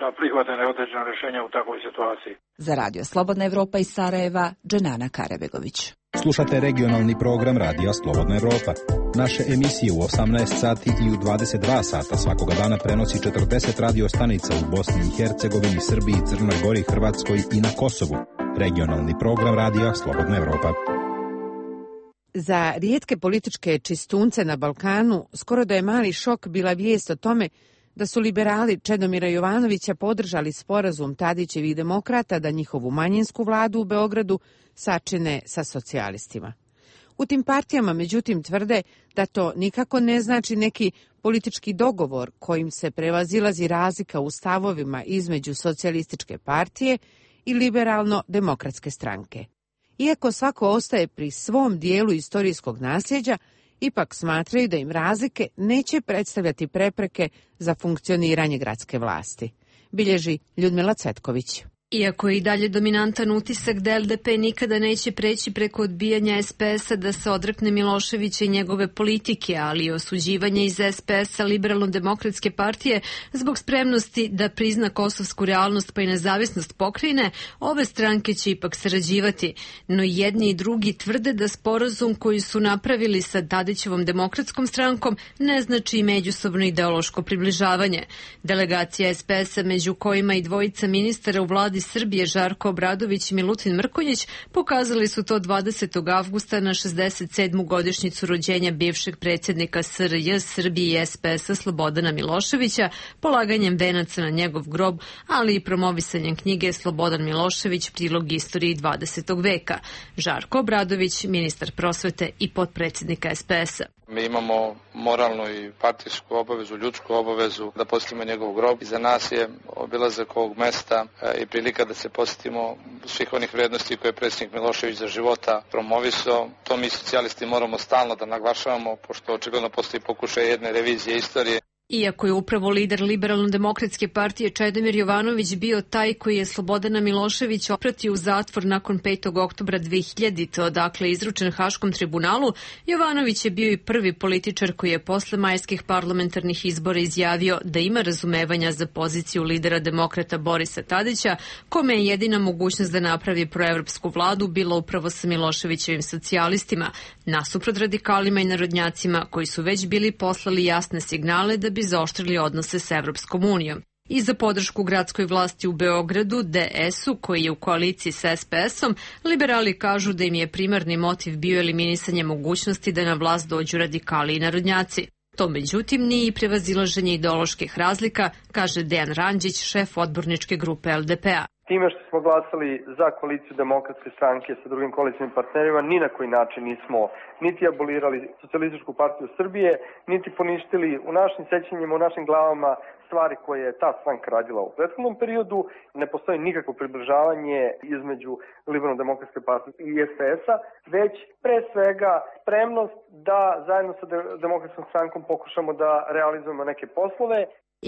da prihvate neodređena rješenja u takvoj situaciji. Za Radio Slobodna Evropa iz Sarajeva, Dženana Karebegović. Slušate regionalni program Radija Slobodna Evropa. Naše emisije u 18 sati i u 22 sata svakoga dana prenosi 40 radio stanica u Bosni i Hercegovini, Srbiji, Crnoj Gori, Hrvatskoj i na Kosovu. Regionalni program Radija Slobodna Evropa. Za rijetke političke čistunce na Balkanu skoro da je mali šok bila vijest o tome da su liberali Čedomira Jovanovića podržali sporazum Tadićevih demokrata da njihovu manjinsku vladu u Beogradu sačine sa socijalistima. U tim partijama, međutim, tvrde da to nikako ne znači neki politički dogovor kojim se prevazilazi razlika u stavovima između socijalističke partije i liberalno-demokratske stranke. Iako svako ostaje pri svom dijelu istorijskog nasljeđa, ipak smatraju da im razlike neće predstavljati prepreke za funkcioniranje gradske vlasti, bilježi Ljudmila Cvetković. Iako je i dalje dominantan utisak da LDP nikada neće preći preko odbijanja SPS-a da se odrekne Miloševića i njegove politike, ali i osuđivanje iz SPS-a Liberalno-demokratske partije zbog spremnosti da prizna kosovsku realnost pa i nezavisnost pokrajine, ove stranke će ipak sarađivati. No jedni i drugi tvrde da sporazum koji su napravili sa Tadićevom demokratskom strankom ne znači i međusobno ideološko približavanje. Delegacija SPS-a, među kojima i dvojica ministara u vladi Srbije Žarko Obradović i Milutin Mrkonjić, pokazali su to 20. avgusta na 67. godišnjicu rođenja bivšeg predsjednika SRJ Srbije i SPS-a Slobodana Miloševića, polaganjem venaca na njegov grob, ali i promovisanjem knjige Slobodan Milošević, prilog istoriji 20. veka. Žarko Obradović, ministar prosvete i potpredsjednika SPS-a. Mi imamo moralnu i partijsku obavezu, ljudsku obavezu da posjetimo njegov grob i za nas je obilazak ovog mesta i prilika da se posjetimo svih onih vrijednosti koje je predsjednik Milošević za života promovisao. To mi socijalisti moramo stalno da naglašavamo, pošto očigledno postoji pokušaj jedne revizije istorije. Iako je upravo lider Liberalno-demokratske partije Čedomir Jovanović bio taj koji je Slobodana Miloševića opratio u zatvor nakon 5. oktobra 2000. odakle izručen Haškom tribunalu, Jovanović je bio i prvi političar koji je posle majskih parlamentarnih izbora izjavio da ima razumevanja za poziciju lidera demokrata Borisa Tadića, kome je jedina mogućnost da napravi proevropsku vladu bila upravo sa Miloševićevim socijalistima, nasuprot radikalima i narodnjacima koji su već bili poslali jasne signale da bi zaoštrili odnose s Evropskom unijom. I za podršku gradskoj vlasti u Beogradu, DS-u, koji je u koaliciji sa SPS-om, liberali kažu da im je primarni motiv bio eliminisanje mogućnosti da na vlast dođu radikali i narodnjaci. To međutim nije i prevazilaženje ideoloških razlika, kaže Dejan Randžić, šef odborničke grupe LDP-a. Time što smo glasali za koaliciju Demokratske stranke sa drugim koalicijnim partnerima, ni na koji način nismo niti abolirali Socijalističku partiju Srbije, niti poništili u našim sećanjima, u našim glavama stvari koje je ta stranka radila u prethodnom periodu. Ne postoji nikakvo približavanje između Liberalno-demokratske partije i SPS-a, već pre svega spremnost da zajedno sa Demokratskom strankom pokušamo da realizujemo neke poslove.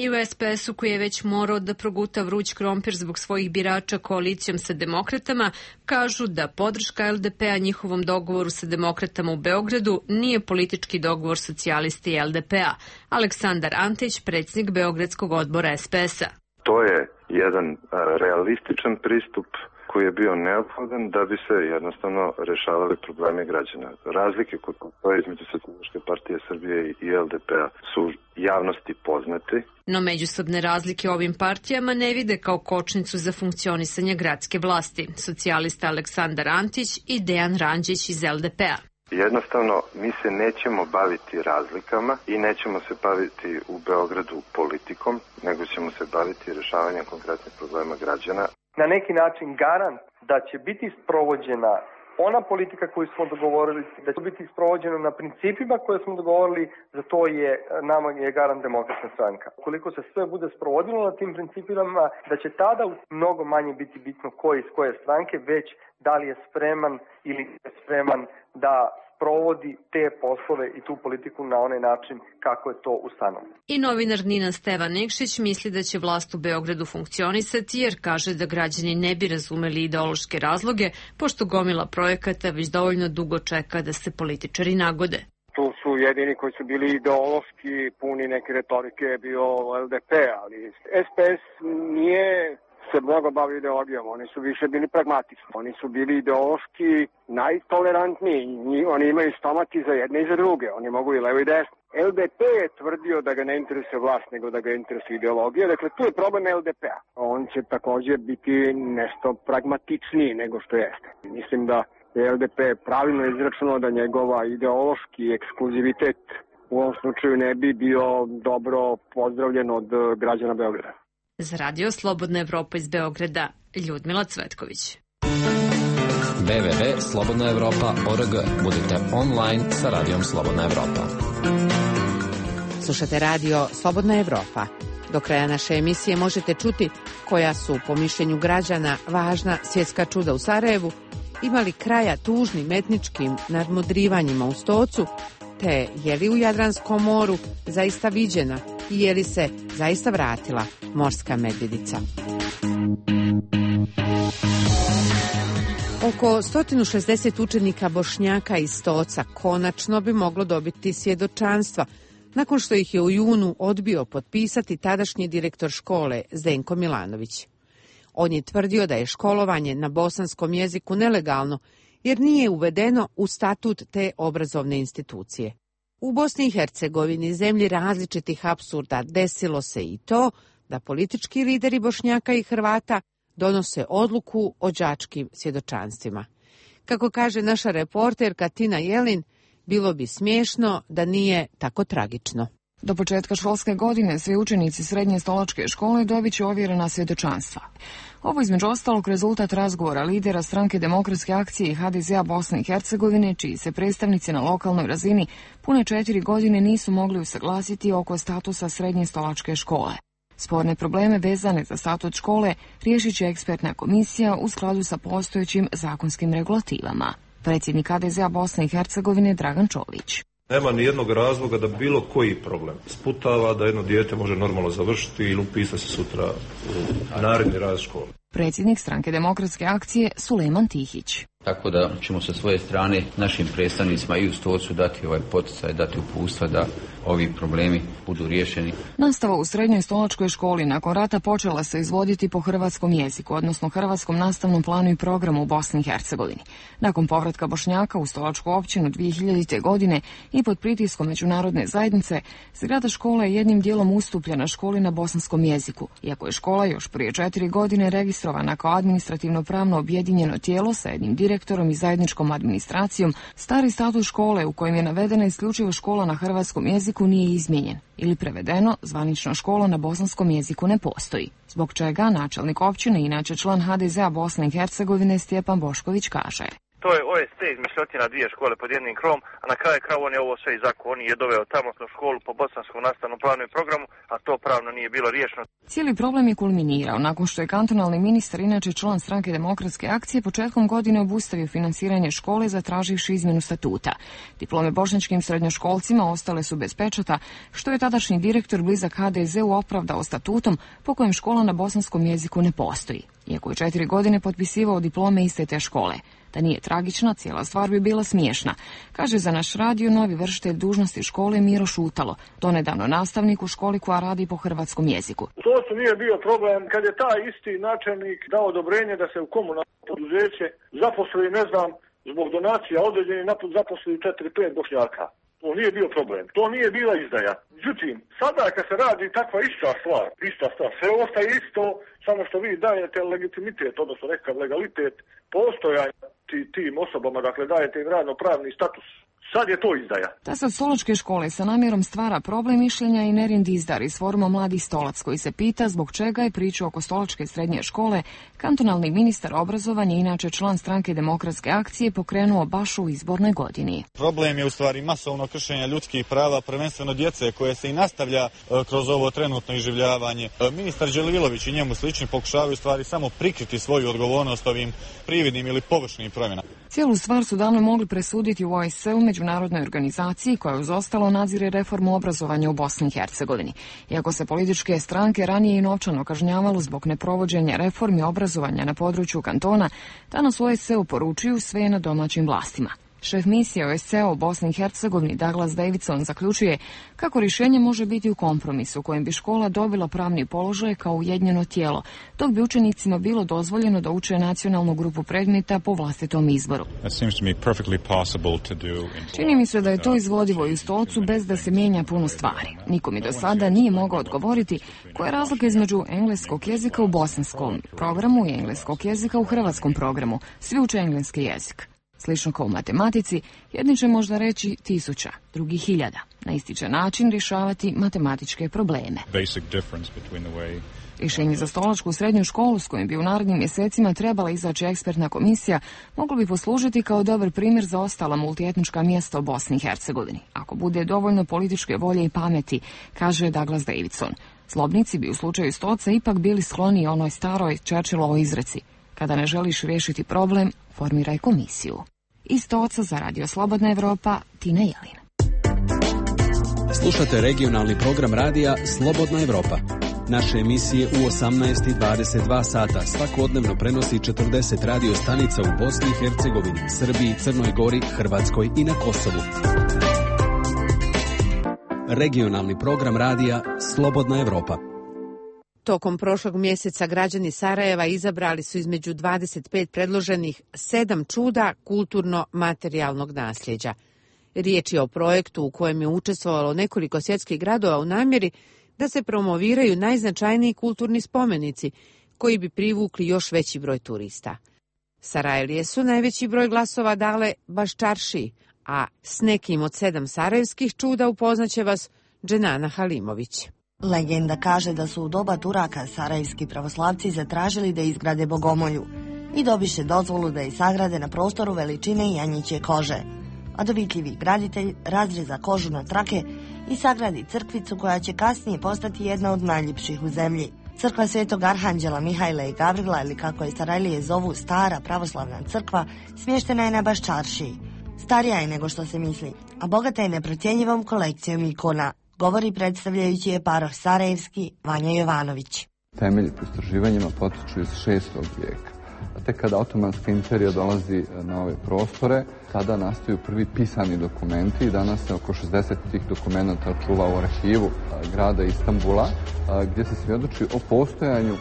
I u SPS-u, koji je već morao da proguta vruć krompir zbog svojih birača koalicijom sa demokratama, kažu da podrška LDP-a njihovom dogovoru sa demokratama u Beogradu nije politički dogovor socijalisti i LDP-a. Aleksandar Antić, predsjednik Beogradskog odbora SPS-a. To je jedan realističan pristup koji je bio neophodan da bi se jednostavno rešavali problemi građana. Razlike koje postoje između Socijalističke partije Srbije i LDP-a su javnosti poznate. No međusobne razlike ovim partijama ne vide kao kočnicu za funkcionisanje gradske vlasti. Socijalista Aleksandar Antić i Dejan Ranđić iz LDP-a. Jednostavno, mi se nećemo baviti razlikama i nećemo se baviti u Beogradu politikom, nego ćemo se baviti rešavanjem konkretnih problema građana. Na neki način garant da će biti sprovođena ona politika koju smo dogovorili, da će biti sprovođena na principima koje smo dogovorili, za to je nama je garant Demokratska stranka. Ukoliko se sve bude sprovodilo na tim principima, da će tada mnogo manje biti bitno ko iz koje stranke, već da li je spreman ili je spreman da provodi te poslove i tu politiku na onaj način kako je to ustanovljeno. I novinar Nina Stevan Nikšić misli da će vlast u Beogradu funkcionisati jer kaže da građani ne bi razumeli ideološke razloge, pošto gomila projekata već dovoljno dugo čeka da se političari nagode. Tu su jedini koji su bili ideološki, puni neke retorike, bio LDP, ali SPS nije se mnogo bavio ideologijom, oni su više bili pragmatični, oni su bili ideološki najtolerantniji, oni imaju stomati za jedne i za druge, oni mogu i levo i desno. LDP je tvrdio da ga ne interesuje vlast, nego da ga interesuje ideologija, dakle tu je problem LDP-a. On će također biti nešto pragmatičniji nego što jeste. Mislim da je LDP pravilno izračunao da njegova ideološki ekskluzivitet u ovom slučaju ne bi bio dobro pozdravljen od građana Beograda. Za radio Slobodna Evropa iz Beograda, Ljudmila Cvetković. www.slobodnaevropa.org. Budite online sa radijom Slobodna Evropa. Slušate radio Slobodna Evropa. Do kraja naše emisije možete čuti koja su, po mišljenju građana, važna svjetska čuda u Sarajevu, imali kraja tužnim etničkim nadmudrivanjima u Stocu, te je li u Jadranskom moru zaista viđena i je li se zaista vratila morska medvjedica. Oko 160 učenika Bošnjaka iz Stoca konačno bi moglo dobiti svjedočanstva, nakon što ih je u junu odbio potpisati tadašnji direktor škole Zdenko Milanović. On je tvrdio da je školovanje na bosanskom jeziku nelegalno, jer nije uvedeno u statut te obrazovne institucije. U Bosni i Hercegovini, zemlji različitih apsurda, desilo se i to da politički lideri Bošnjaka i Hrvata donose odluku o đačkim svjedočanstvima. Kako kaže naša reporterka Tina Jelin, bilo bi smiješno da nije tako tragično. Do početka školske godine svi učenici srednje stolačke škole dobit će ovjerena svjedočanstva. Ovo između ostalog rezultat razgovora lidera stranke Demokratske akcije i HDZ-a Bosne i Hercegovine, čiji se predstavnici na lokalnoj razini pune 4 godine nisu mogli usaglasiti oko statusa srednje stolačke škole. Sporne probleme vezane za statut škole riješit će ekspertna komisija u skladu sa postojećim zakonskim regulativama. Predsjednik HDZ-a Bosne i Hercegovine Dragan Čović. Nema ni jednog razloga da bilo koji problem sputava da jedno dijete može normalno završiti ili upisati se sutra u naredni raz škole. Predsjednik stranke Demokratske akcije Sulejman Tihić. Tako da ćemo sa svoje strane našim predstavnicima i u Stocu dati ovaj poticaj, dati uputstva da ovi problemi budu riješeni. Nastava u srednjoj stolačkoj školi nakon rata počela se izvoditi po hrvatskom jeziku, odnosno hrvatskom nastavnom planu i programu u Bosni i Hercegovini. Nakon povratka Bošnjaka u stolačku općinu 2000. godine i pod pritiskom međunarodne zajednice, zgrada škola je jednim dijelom ustupljena školi na bosanskom jeziku, iako je škola još prije 4 godine registrovana kao administrativno pravno objedinjeno tijelo sa jednim direktorom i zajedničkom administracijom. Stari statut škole u kojem je navedena isključivo škola na hrvatskom jeziku jeziku nije izmijenjen ili prevedeno, zvanična škola na bosanskom jeziku ne postoji. Zbog čega načelnik općine, inače član HDZ-a Bosne i Hercegovine, Stjepan Bošković kaže: To je OST izmišljotina dvije škole pod jednim krovom, a na kraju krajeva on je ovo sve iz zakona. On je doveo tamosnu školu po bosanskom nastavnom planu i programu, a to pravno nije bilo riješeno. Cijeli problem je kulminirao nakon što je kantonalni ministar, inače član Stranke demokratske akcije, početkom godine obustavio finansiranje škole zatraživši izmjenu statuta. Diplome bošnjačkim srednjoškolcima ostale su bez pečata, što je tadašnji direktor blizak HDZ-u opravdao statutom po kojem škola na bosanskom jeziku ne postoji, iako je 4 godine potpisivao diplome iste te škole. Da nije tragična, cijela stvar bi bila smiješna, kaže za naš radio novi vršitelj dužnosti škole Miro Šutalo, donedavno nastavnik u školi koja radi po hrvatskom jeziku. To su nije bio problem kad je taj isti načelnik dao odobrenje da se u komunalno poduzeće zaposli, ne znam, zbog donacija određeni zaposli 4-5 Bošnjaka. To nije bio problem. To nije bila izdaja. Međutim, sada kad se radi takva ista stvar, sve ostaje isto, samo što vi dajete legitimitet, odnosno nekakav legalitet postojanja tim osobama, dakle dajete im radno-pravni status. Sad je to izdaja. Ta sad stolačke škole sa namjerom stvara problem mišljenja i Nerin Dizdar iz foruma Mladi stolac, koji se pita zbog čega je priču oko stolačke srednje škole kantonalni ministar obrazovanja, inače član Stranke demokratske akcije, pokrenuo baš u izbornoj godini. Problem je u stvari masovno kršenje ljudskih prava, prvenstveno djece, koje se i nastavlja kroz ovo trenutno iživljavanje. Ministar Đelilović i njemu slični pokušavaju u stvari samo prikriti svoju odgovornost ovim prividnim ili površnim promjenama. Cijelu stvar su davno mogli presuditi u OSCE-u, međunarodnoj organizaciji koja uz ostalo nadzire reformu obrazovanja u Bosni i Hercegovini. Iako se političke stranke ranije i novčano kažnjavalo zbog neprovođenja reformi obrazovanja na području kantona, danas u OSCE-u poručuju sve na domaćim vlastima. Šef misije OSCE-a u Bosni i Hercegovini Douglas Davidson zaključuje kako rješenje može biti u kompromisu kojim bi škola dobila pravni položaj kao ujedinjeno tijelo, dok bi učenicima bilo dozvoljeno da uče nacionalnu grupu predmeta po vlastitom izboru. Čini mi se da je to izvodivo i u Stolcu bez da se mijenja puno stvari. Niko mi do sada nije mogao odgovoriti koja je razlika između engleskog jezika u bosanskom programu i engleskog jezika u hrvatskom programu. Svi uče engleski jezik. Slično kao u matematici, jedni će možda reći 1000, drugi 1000. Na isti će način rješavati matematičke probleme. Rješenje za stolačku srednju školu s kojim bi u narednim mjesecima trebala izaći ekspertna komisija moglo bi poslužiti kao dobar primjer za ostala multietnička mjesta u Bosni i Hercegovini, ako bude dovoljno političke volje i pameti, kaže Douglas Davidson. Zlobnici bi u slučaju Stolca ipak bili skloni onoj staroj Churchillovoj izreci: kada ne želiš riješiti problem, formiraj komisiju. Iz Stolca za Radio Slobodna Evropa, Tina Jelin. Slušate regionalni program radija Slobodna Evropa. Naše emisije u 18 i 22 sata svakodnevno prenosi 40 radio stanica u Bosni i Hercegovini, Srbiji, Crnoj Gori, Hrvatskoj i na Kosovu. Regionalni program radija Slobodna Evropa. Tokom prošlog mjeseca građani Sarajeva izabrali su između 25 predloženih 7 čuda kulturno-materijalnog nasljeđa. Riječ je o projektu u kojem je učestvovalo nekoliko svjetskih gradova u namjeri da se promoviraju najznačajniji kulturni spomenici koji bi privukli još veći broj turista. Sarajlije su najveći broj glasova dale Baščaršiji, a s nekim od 7 sarajevskih čuda upoznaće vas Dženana Halimović. Legenda kaže da su u doba Turaka sarajevski pravoslavci zatražili da izgrade bogomolju i dobiše dozvolu da je sagrade na prostoru veličine janjiće kože. A dovitljivi graditelj razreza kožu na trake i sagradi crkvicu koja će kasnije postati jedna od najljepših u zemlji. Crkva Svetog Arhanđela Mihajla i Gavrila, ili kako je Sarajlije zovu Stara pravoslavna crkva, smještena je na Baščaršiji. Starija je nego što se misli, a bogata je neprocjenjivom kolekcijom ikona, govori predstavljajući je paroh sarajevski Vanja Jovanović. Temelji po istraživanjima potiču iz 6. vijeka. Tek kada Otomanska imperija dolazi na ove prostore, tada nastaju prvi pisani dokumenti i danas se oko 60 tih dokumenta čuva u arhivu grada Istanbula, gdje se svjedoči o postojanju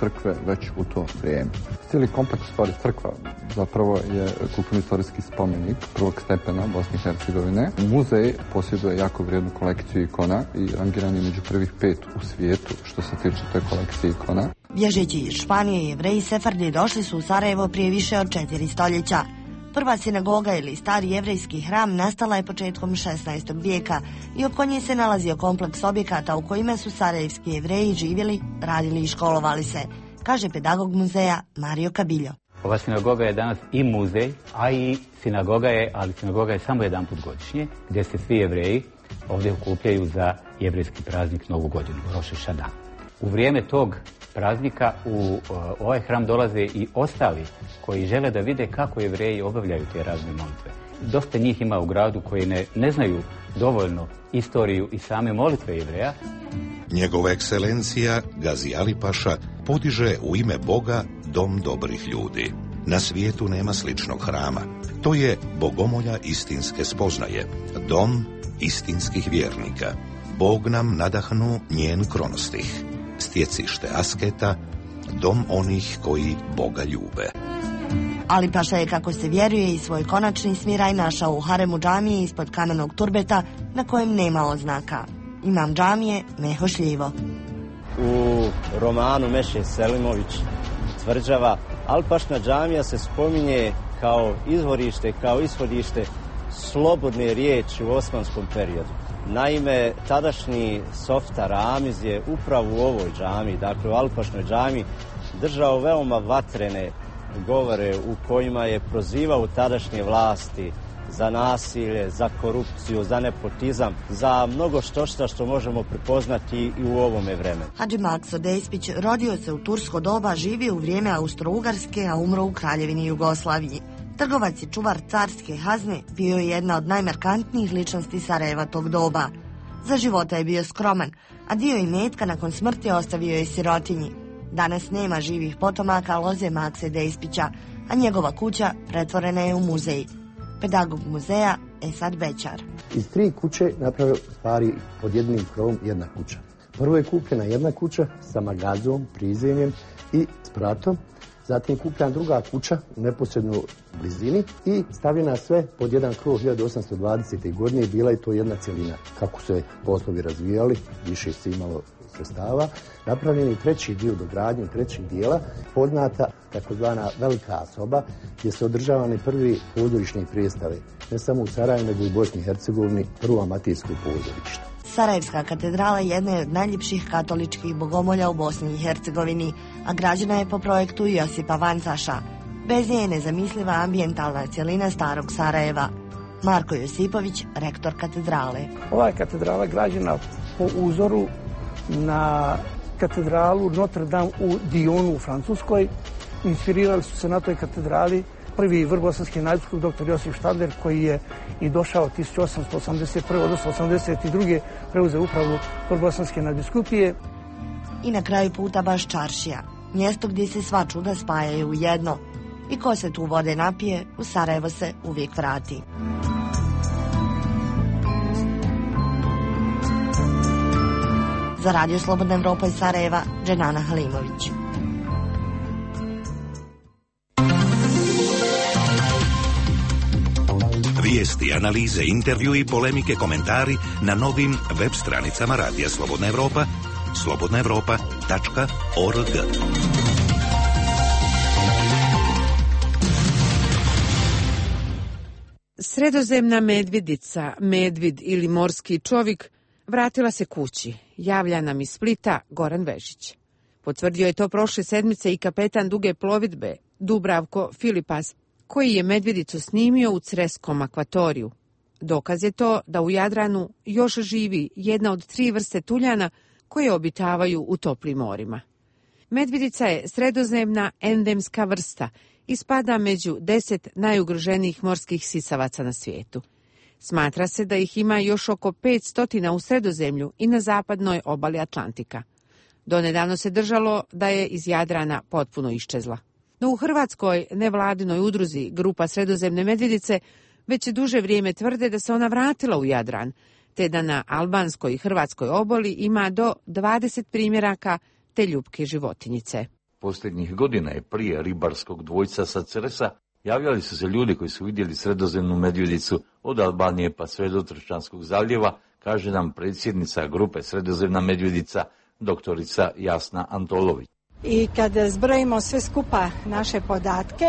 crkve već u to vrijeme. Cijeli kompleks stvari crkva zapravo je kulturno-istorijski spomenik prvog stepena Bosne i Hercegovine. Muzej posjeduje jako vrijednu kolekciju ikona i rangiran je među prvih 5 u svijetu što se tiče te kolekcije ikona. Bježeći iz Španije, Jevreji Sefardi došli su u Sarajevo prije više od 4 stoljeća. Prva sinagoga ili stari jevrejski hram nastala je početkom 16. vijeka i oko nje se nalazio kompleks objekata u kojima su sarajevski Jevreji živjeli, radili i školovali se, kaže pedagog muzeja Mario Kabiljo. Ova sinagoga je danas i muzej, a i sinagoga je samo jedan put godišnje, gdje se svi Jevreji ovdje okupljaju za jevrejski praznik Novu godinu, Roš ha-Šana. U vrijeme tog praznika u ovaj hram dolaze i ostali koji žele da vide kako Jevreji obavljaju te razne molitve. Dosta njih ima u gradu koji ne znaju dovoljno istoriju i same molitve Jevreja. Njegova ekscelencija Gazi Ali Paša podiže u ime Boga dom dobrih ljudi. Na svijetu nema sličnog hrama. To je bogomolja istinske spoznaje, dom istinskih vjernika. Bog nam nadahnu njen kronostih, stjecište asketa, dom onih koji Boga ljube. Ali Paša je, kako se vjeruje, i svoj konačni smiraj našao u haremu džamije ispod kamenog turbeta na kojem nema oznaka. Imam džamije Meho Šljivo. U romanu Meše Selimović tvrđava Alpašna džamija se spominje kao izvorište, kao ishodište slobodne riječi u osmanskom periodu. Naime, tadašnji softar Ramiz je upravo u ovoj džamiji, dakle u Alpašnoj džamiji, držao veoma vatrene govore u kojima je prozivao tadašnje vlasti za nasilje, za korupciju, za nepotizam, za mnogo što možemo prepoznati i u ovome vremenu. Hadži Makso Despić rodio se u tursko doba, živio u vrijeme Austro-Ugarske, a umro u Kraljevini Jugoslaviji. Trgovac i čuvar carske hazne, bio je jedna od najmarkantnijih ličnosti Sarajeva tog doba. Za života je bio skroman, a dio imetka nakon smrti ostavio je sirotinji. Danas nema živih potomaka loze Makse Despića, a njegova kuća pretvorena je u muzej. Pedagog muzeja Esad Bećar. Iz 3 kuće napravio stvari pod jednim krovom jedna kuća. Prvo je kupljena jedna kuća sa magazom, prizemljem i spratom. Zatim kupljena druga kuća u neposrednoj blizini i stavljena sve pod jedan krov 1820. godine. Bila je to jedna cjelina. Kako se poslovi razvijali, više se imalo sredstava. Napravljen je treći dio dogradnje, trećeg dijela, poznata takozvana velika soba, gdje se održavane prvi pozorišne predstave, ne samo u Sarajevu, nego i u Bosni i Hercegovini, prvo amatersko pozorište. Sarajevska katedrala jedna je od najljepših katoličkih bogomolja u Bosni i Hercegovini, a građena je po projektu Josipa Vancaša. Bez nje je nezamisliva ambijentalna cjelina starog Sarajeva. Marko Josipović, rektor katedrale. Ova je katedrala građena po uzoru na katedralu Notre Dame u Dionu u Francuskoj. Inspirirali su se na toj katedrali prvi vrbosanski nadbiskup dr. Josip Štadler, koji je i došao 1881. odnosno 82. preuzeo upravu vrbosanske nadbiskupije. I na kraju puta baš čaršija, mjesto gdje se sva čuda spajaju u jedno. I ko se tu vode napije, u Sarajevo se uvijek vrati. Za Radio Slobodna Evropa iz Sarajeva, Dženana Halimović. Vijesti, analize, intervju i polemike, komentari na novim web stranicama Radija Slobodna Evropa, slobodnaevropa.org. Sredozemna medvjedica, medvid ili morski čovjek, vratila se kući, javlja nam iz Splita Goran Vežić. Potvrdio je to prošle sedmice i kapetan duge plovidbe Dubravko Filipas, koji je medvjedicu snimio u Creskom akvatoriju. Dokaz je to da u Jadranu još živi jedna od 3 vrste tuljana koje obitavaju u toplim morima. Medvjedica je sredozemna endemska vrsta i spada među 10 najugroženijih morskih sisavaca na svijetu. Smatra se da ih ima još oko 500 u Sredozemlju i na zapadnoj obali Atlantika. Donedavno se držalo da je iz Jadrana potpuno iščezla. No u hrvatskoj nevladinoj udruzi Grupa Sredozemne medvjedice već duže vrijeme tvrde da se ona vratila u Jadran, te da na albanskoj i hrvatskoj obali ima do 20 primjeraka te ljupke životinjice. Posljednjih godina je prije ribarskog dvojca sa Cresa javljali su se ljudi koji su vidjeli sredozemnu medvjedicu od Albanije pa sve do Tršćanskog zaljeva, kaže nam predsjednica Grupe Sredozemna medvjedica, doktorica Jasna Antolović. I kad zbrojimo sve skupa naše podatke,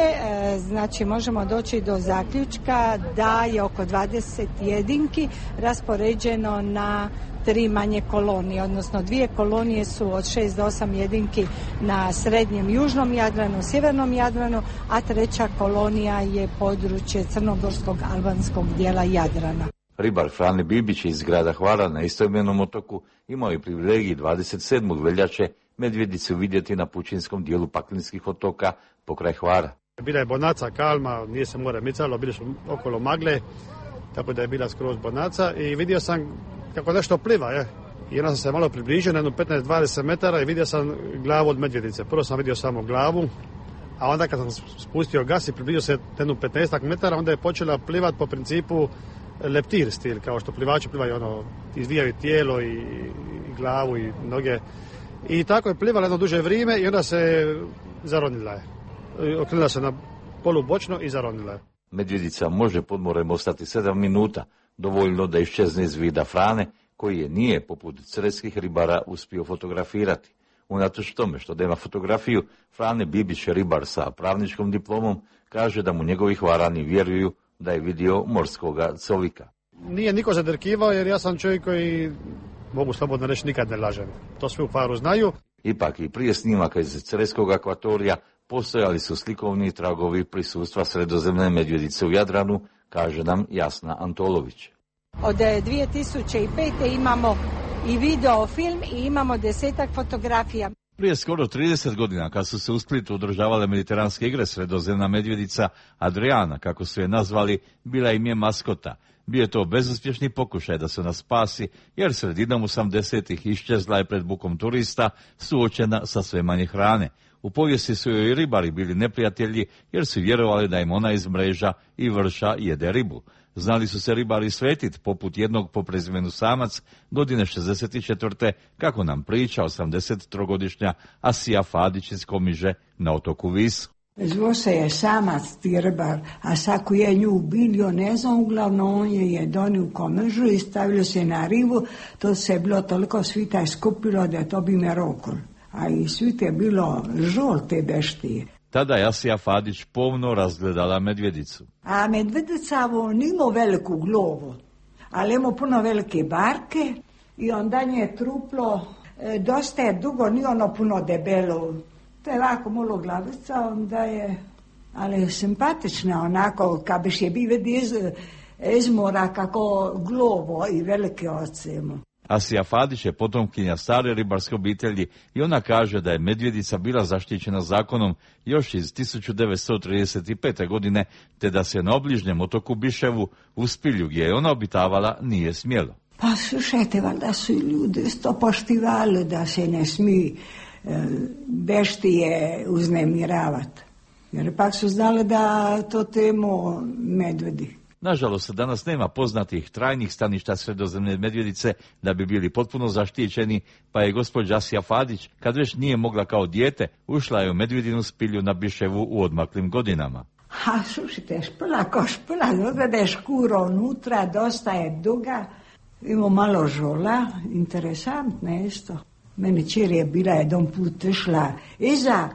znači možemo doći do zaključka da je oko 20 jedinki raspoređeno na 3 manje kolonije, odnosno 2 kolonije su od 6 do 8 jedinki na srednjem južnom Jadranu, sjevernom Jadranu, a 3. kolonija je područje crnogorskog albanskog dijela Jadrana. Ribar Frane Bibić iz grada Hvara na istoimenom otoku imao je privilegiji 27. veljače medvjedicu vidjeti na pučinskom dijelu Paklinskih otoka pokraj Hvara. Bila je bonaca, kalma, nije se more micalo, bili su okolo magle, tako da je bila skroz bonaca i vidio sam kako nešto pliva. I onda sam se malo približio na 15-20 metara i vidio sam glavu od medvjedice. Prvo sam vidio samo glavu, a onda kad sam spustio gas i približio se 15 metara, onda je počela plivat po principu leptir stil, kao što plivači plivaju, izvijaju tijelo i glavu i noge. I tako je plivala jedno duže vrijeme i onda se zaronila je. Okrenula se na polubočno i zaronila je. Medvjedica može pod morem ostati 7 minuta, dovoljno da iščezne iz vida Frane, koji je nije, poput creskih ribara, uspio fotografirati. Unatoč tome što nema fotografiju, Frane Bibić, ribar sa pravničkom diplomom, kaže da mu njegovi Hvarani vjeruju da je vidio morskoga covika. Nije niko zadrkivao jer ja sam čovjek koji, mogu slobodno reći, nikad ne lažem. To svi u Hvaru znaju. Ipak i prije snimaka iz creskog akvatorija postojali su slikovni tragovi prisustva sredozemne medvjedice u Jadranu, kaže nam Jasna Antolović. Od 2005. imamo i videofilm i imamo 10-ak fotografija. Prije skoro 30 godina, kad su se u Splitu održavale mediteranske igre, sredozemna medvjedica Adriana, kako su je nazvali, bila im je maskota. Bio je to bezuspješni pokušaj da se nas spasi, jer sredinom 80-ih iščezla je pred bukom turista, suočena sa sve manje hrane. U povijesti su joj i ribari bili neprijatelji, jer su vjerovali da im ona iz mreža i vrša jede ribu. Znali su se ribari svetit, poput jednog po prezimenu Samac, godine 64. kako nam priča 83-godišnja Asija Fadić iz Komiže na otoku Visu. Zvo se je Samac ti ribar, a saku je nju ubilio, ne znam, uglavnom on je donio u Komižu i stavilo se na rivu, to se je bilo toliko svita je skupilo da to bi me rokol. A i svite je bilo žolte beštije. Tada je Asija Fadić pomno razgledala medvjedicu. A medvjedica nima veliku glovu, ali ima puno velike barke i onda je truplo, dosta je dugo, nije ono puno debelo. To je ovako malo glavica, onda je, ali je simpatična, onako, kad biš je bi vidi iz mora kako glovo i velike oce. Asija Fadić je potomkinja stare ribarske obitelji i ona kaže da je medvjedica bila zaštićena zakonom još iz 1935. godine, te da se na obližnjem otoku Biševu, u Spilju gdje je ona obitavala, nije smjelo. Pa slušajte, valjda su ljudi isto poštivali da se ne smije beštije uznemiravati. Jer pak su znali da to temu medvedi. Nažalost, danas nema poznatih trajnih staništa sredozemne medvjedice da bi bili potpuno zaštićeni, pa je gospođa Asija Fadić, kad već nije mogla kao dijete, ušla je u medvjedinu Spilju na Biševu u odmaklim godinama. Ha, slušajte, špila ko špila, odvede škuro unutra, dosta je duga, ima malo žola, interesantno isto. Meni čer je bila jedan put išla iza,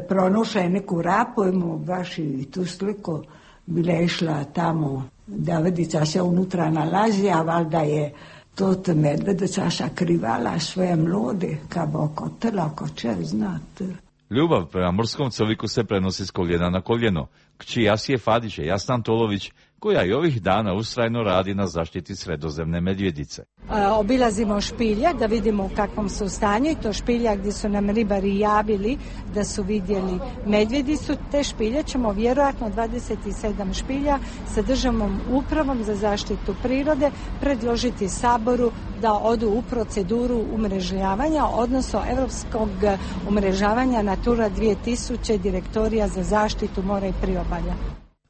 pronošla je neku rapu, imamo baš i tu sliku, bila je išla tamo, Davedica se unutra nalazi, a valjda je tot medvedica sakrivala svoje mlode, kad oko trla, ko će znati. Ljubav prema morskom coviku se prenosi s koljena na koljeno. Kći Asije Fadić je Jasna Antolović, koja i ovih dana ustrajno radi na zaštiti sredozemne medvjedice. Obilazimo špiljak da vidimo u kakvom su stanju i to špiljak gdje su nam ribari javili da su vidjeli medvjedicu. Te špilje ćemo vjerojatno 27 špilja sa državnom upravom za zaštitu prirode predložiti Saboru da odu u proceduru umrežavanja, odnosno europskog umrežavanja Natura 2000 direktorija za zaštitu mora i priobalja.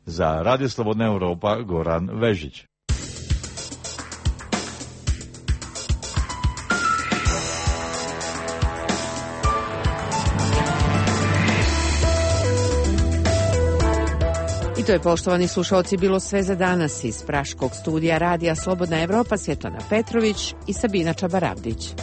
Za Radio Slobodna Europa, Goran Vežić. I to je, poštovani slušalci, bilo sve za danas iz Praškog studija Radija Slobodna Evropa. Svjetlana Petrović i Sabina Čabarabdić.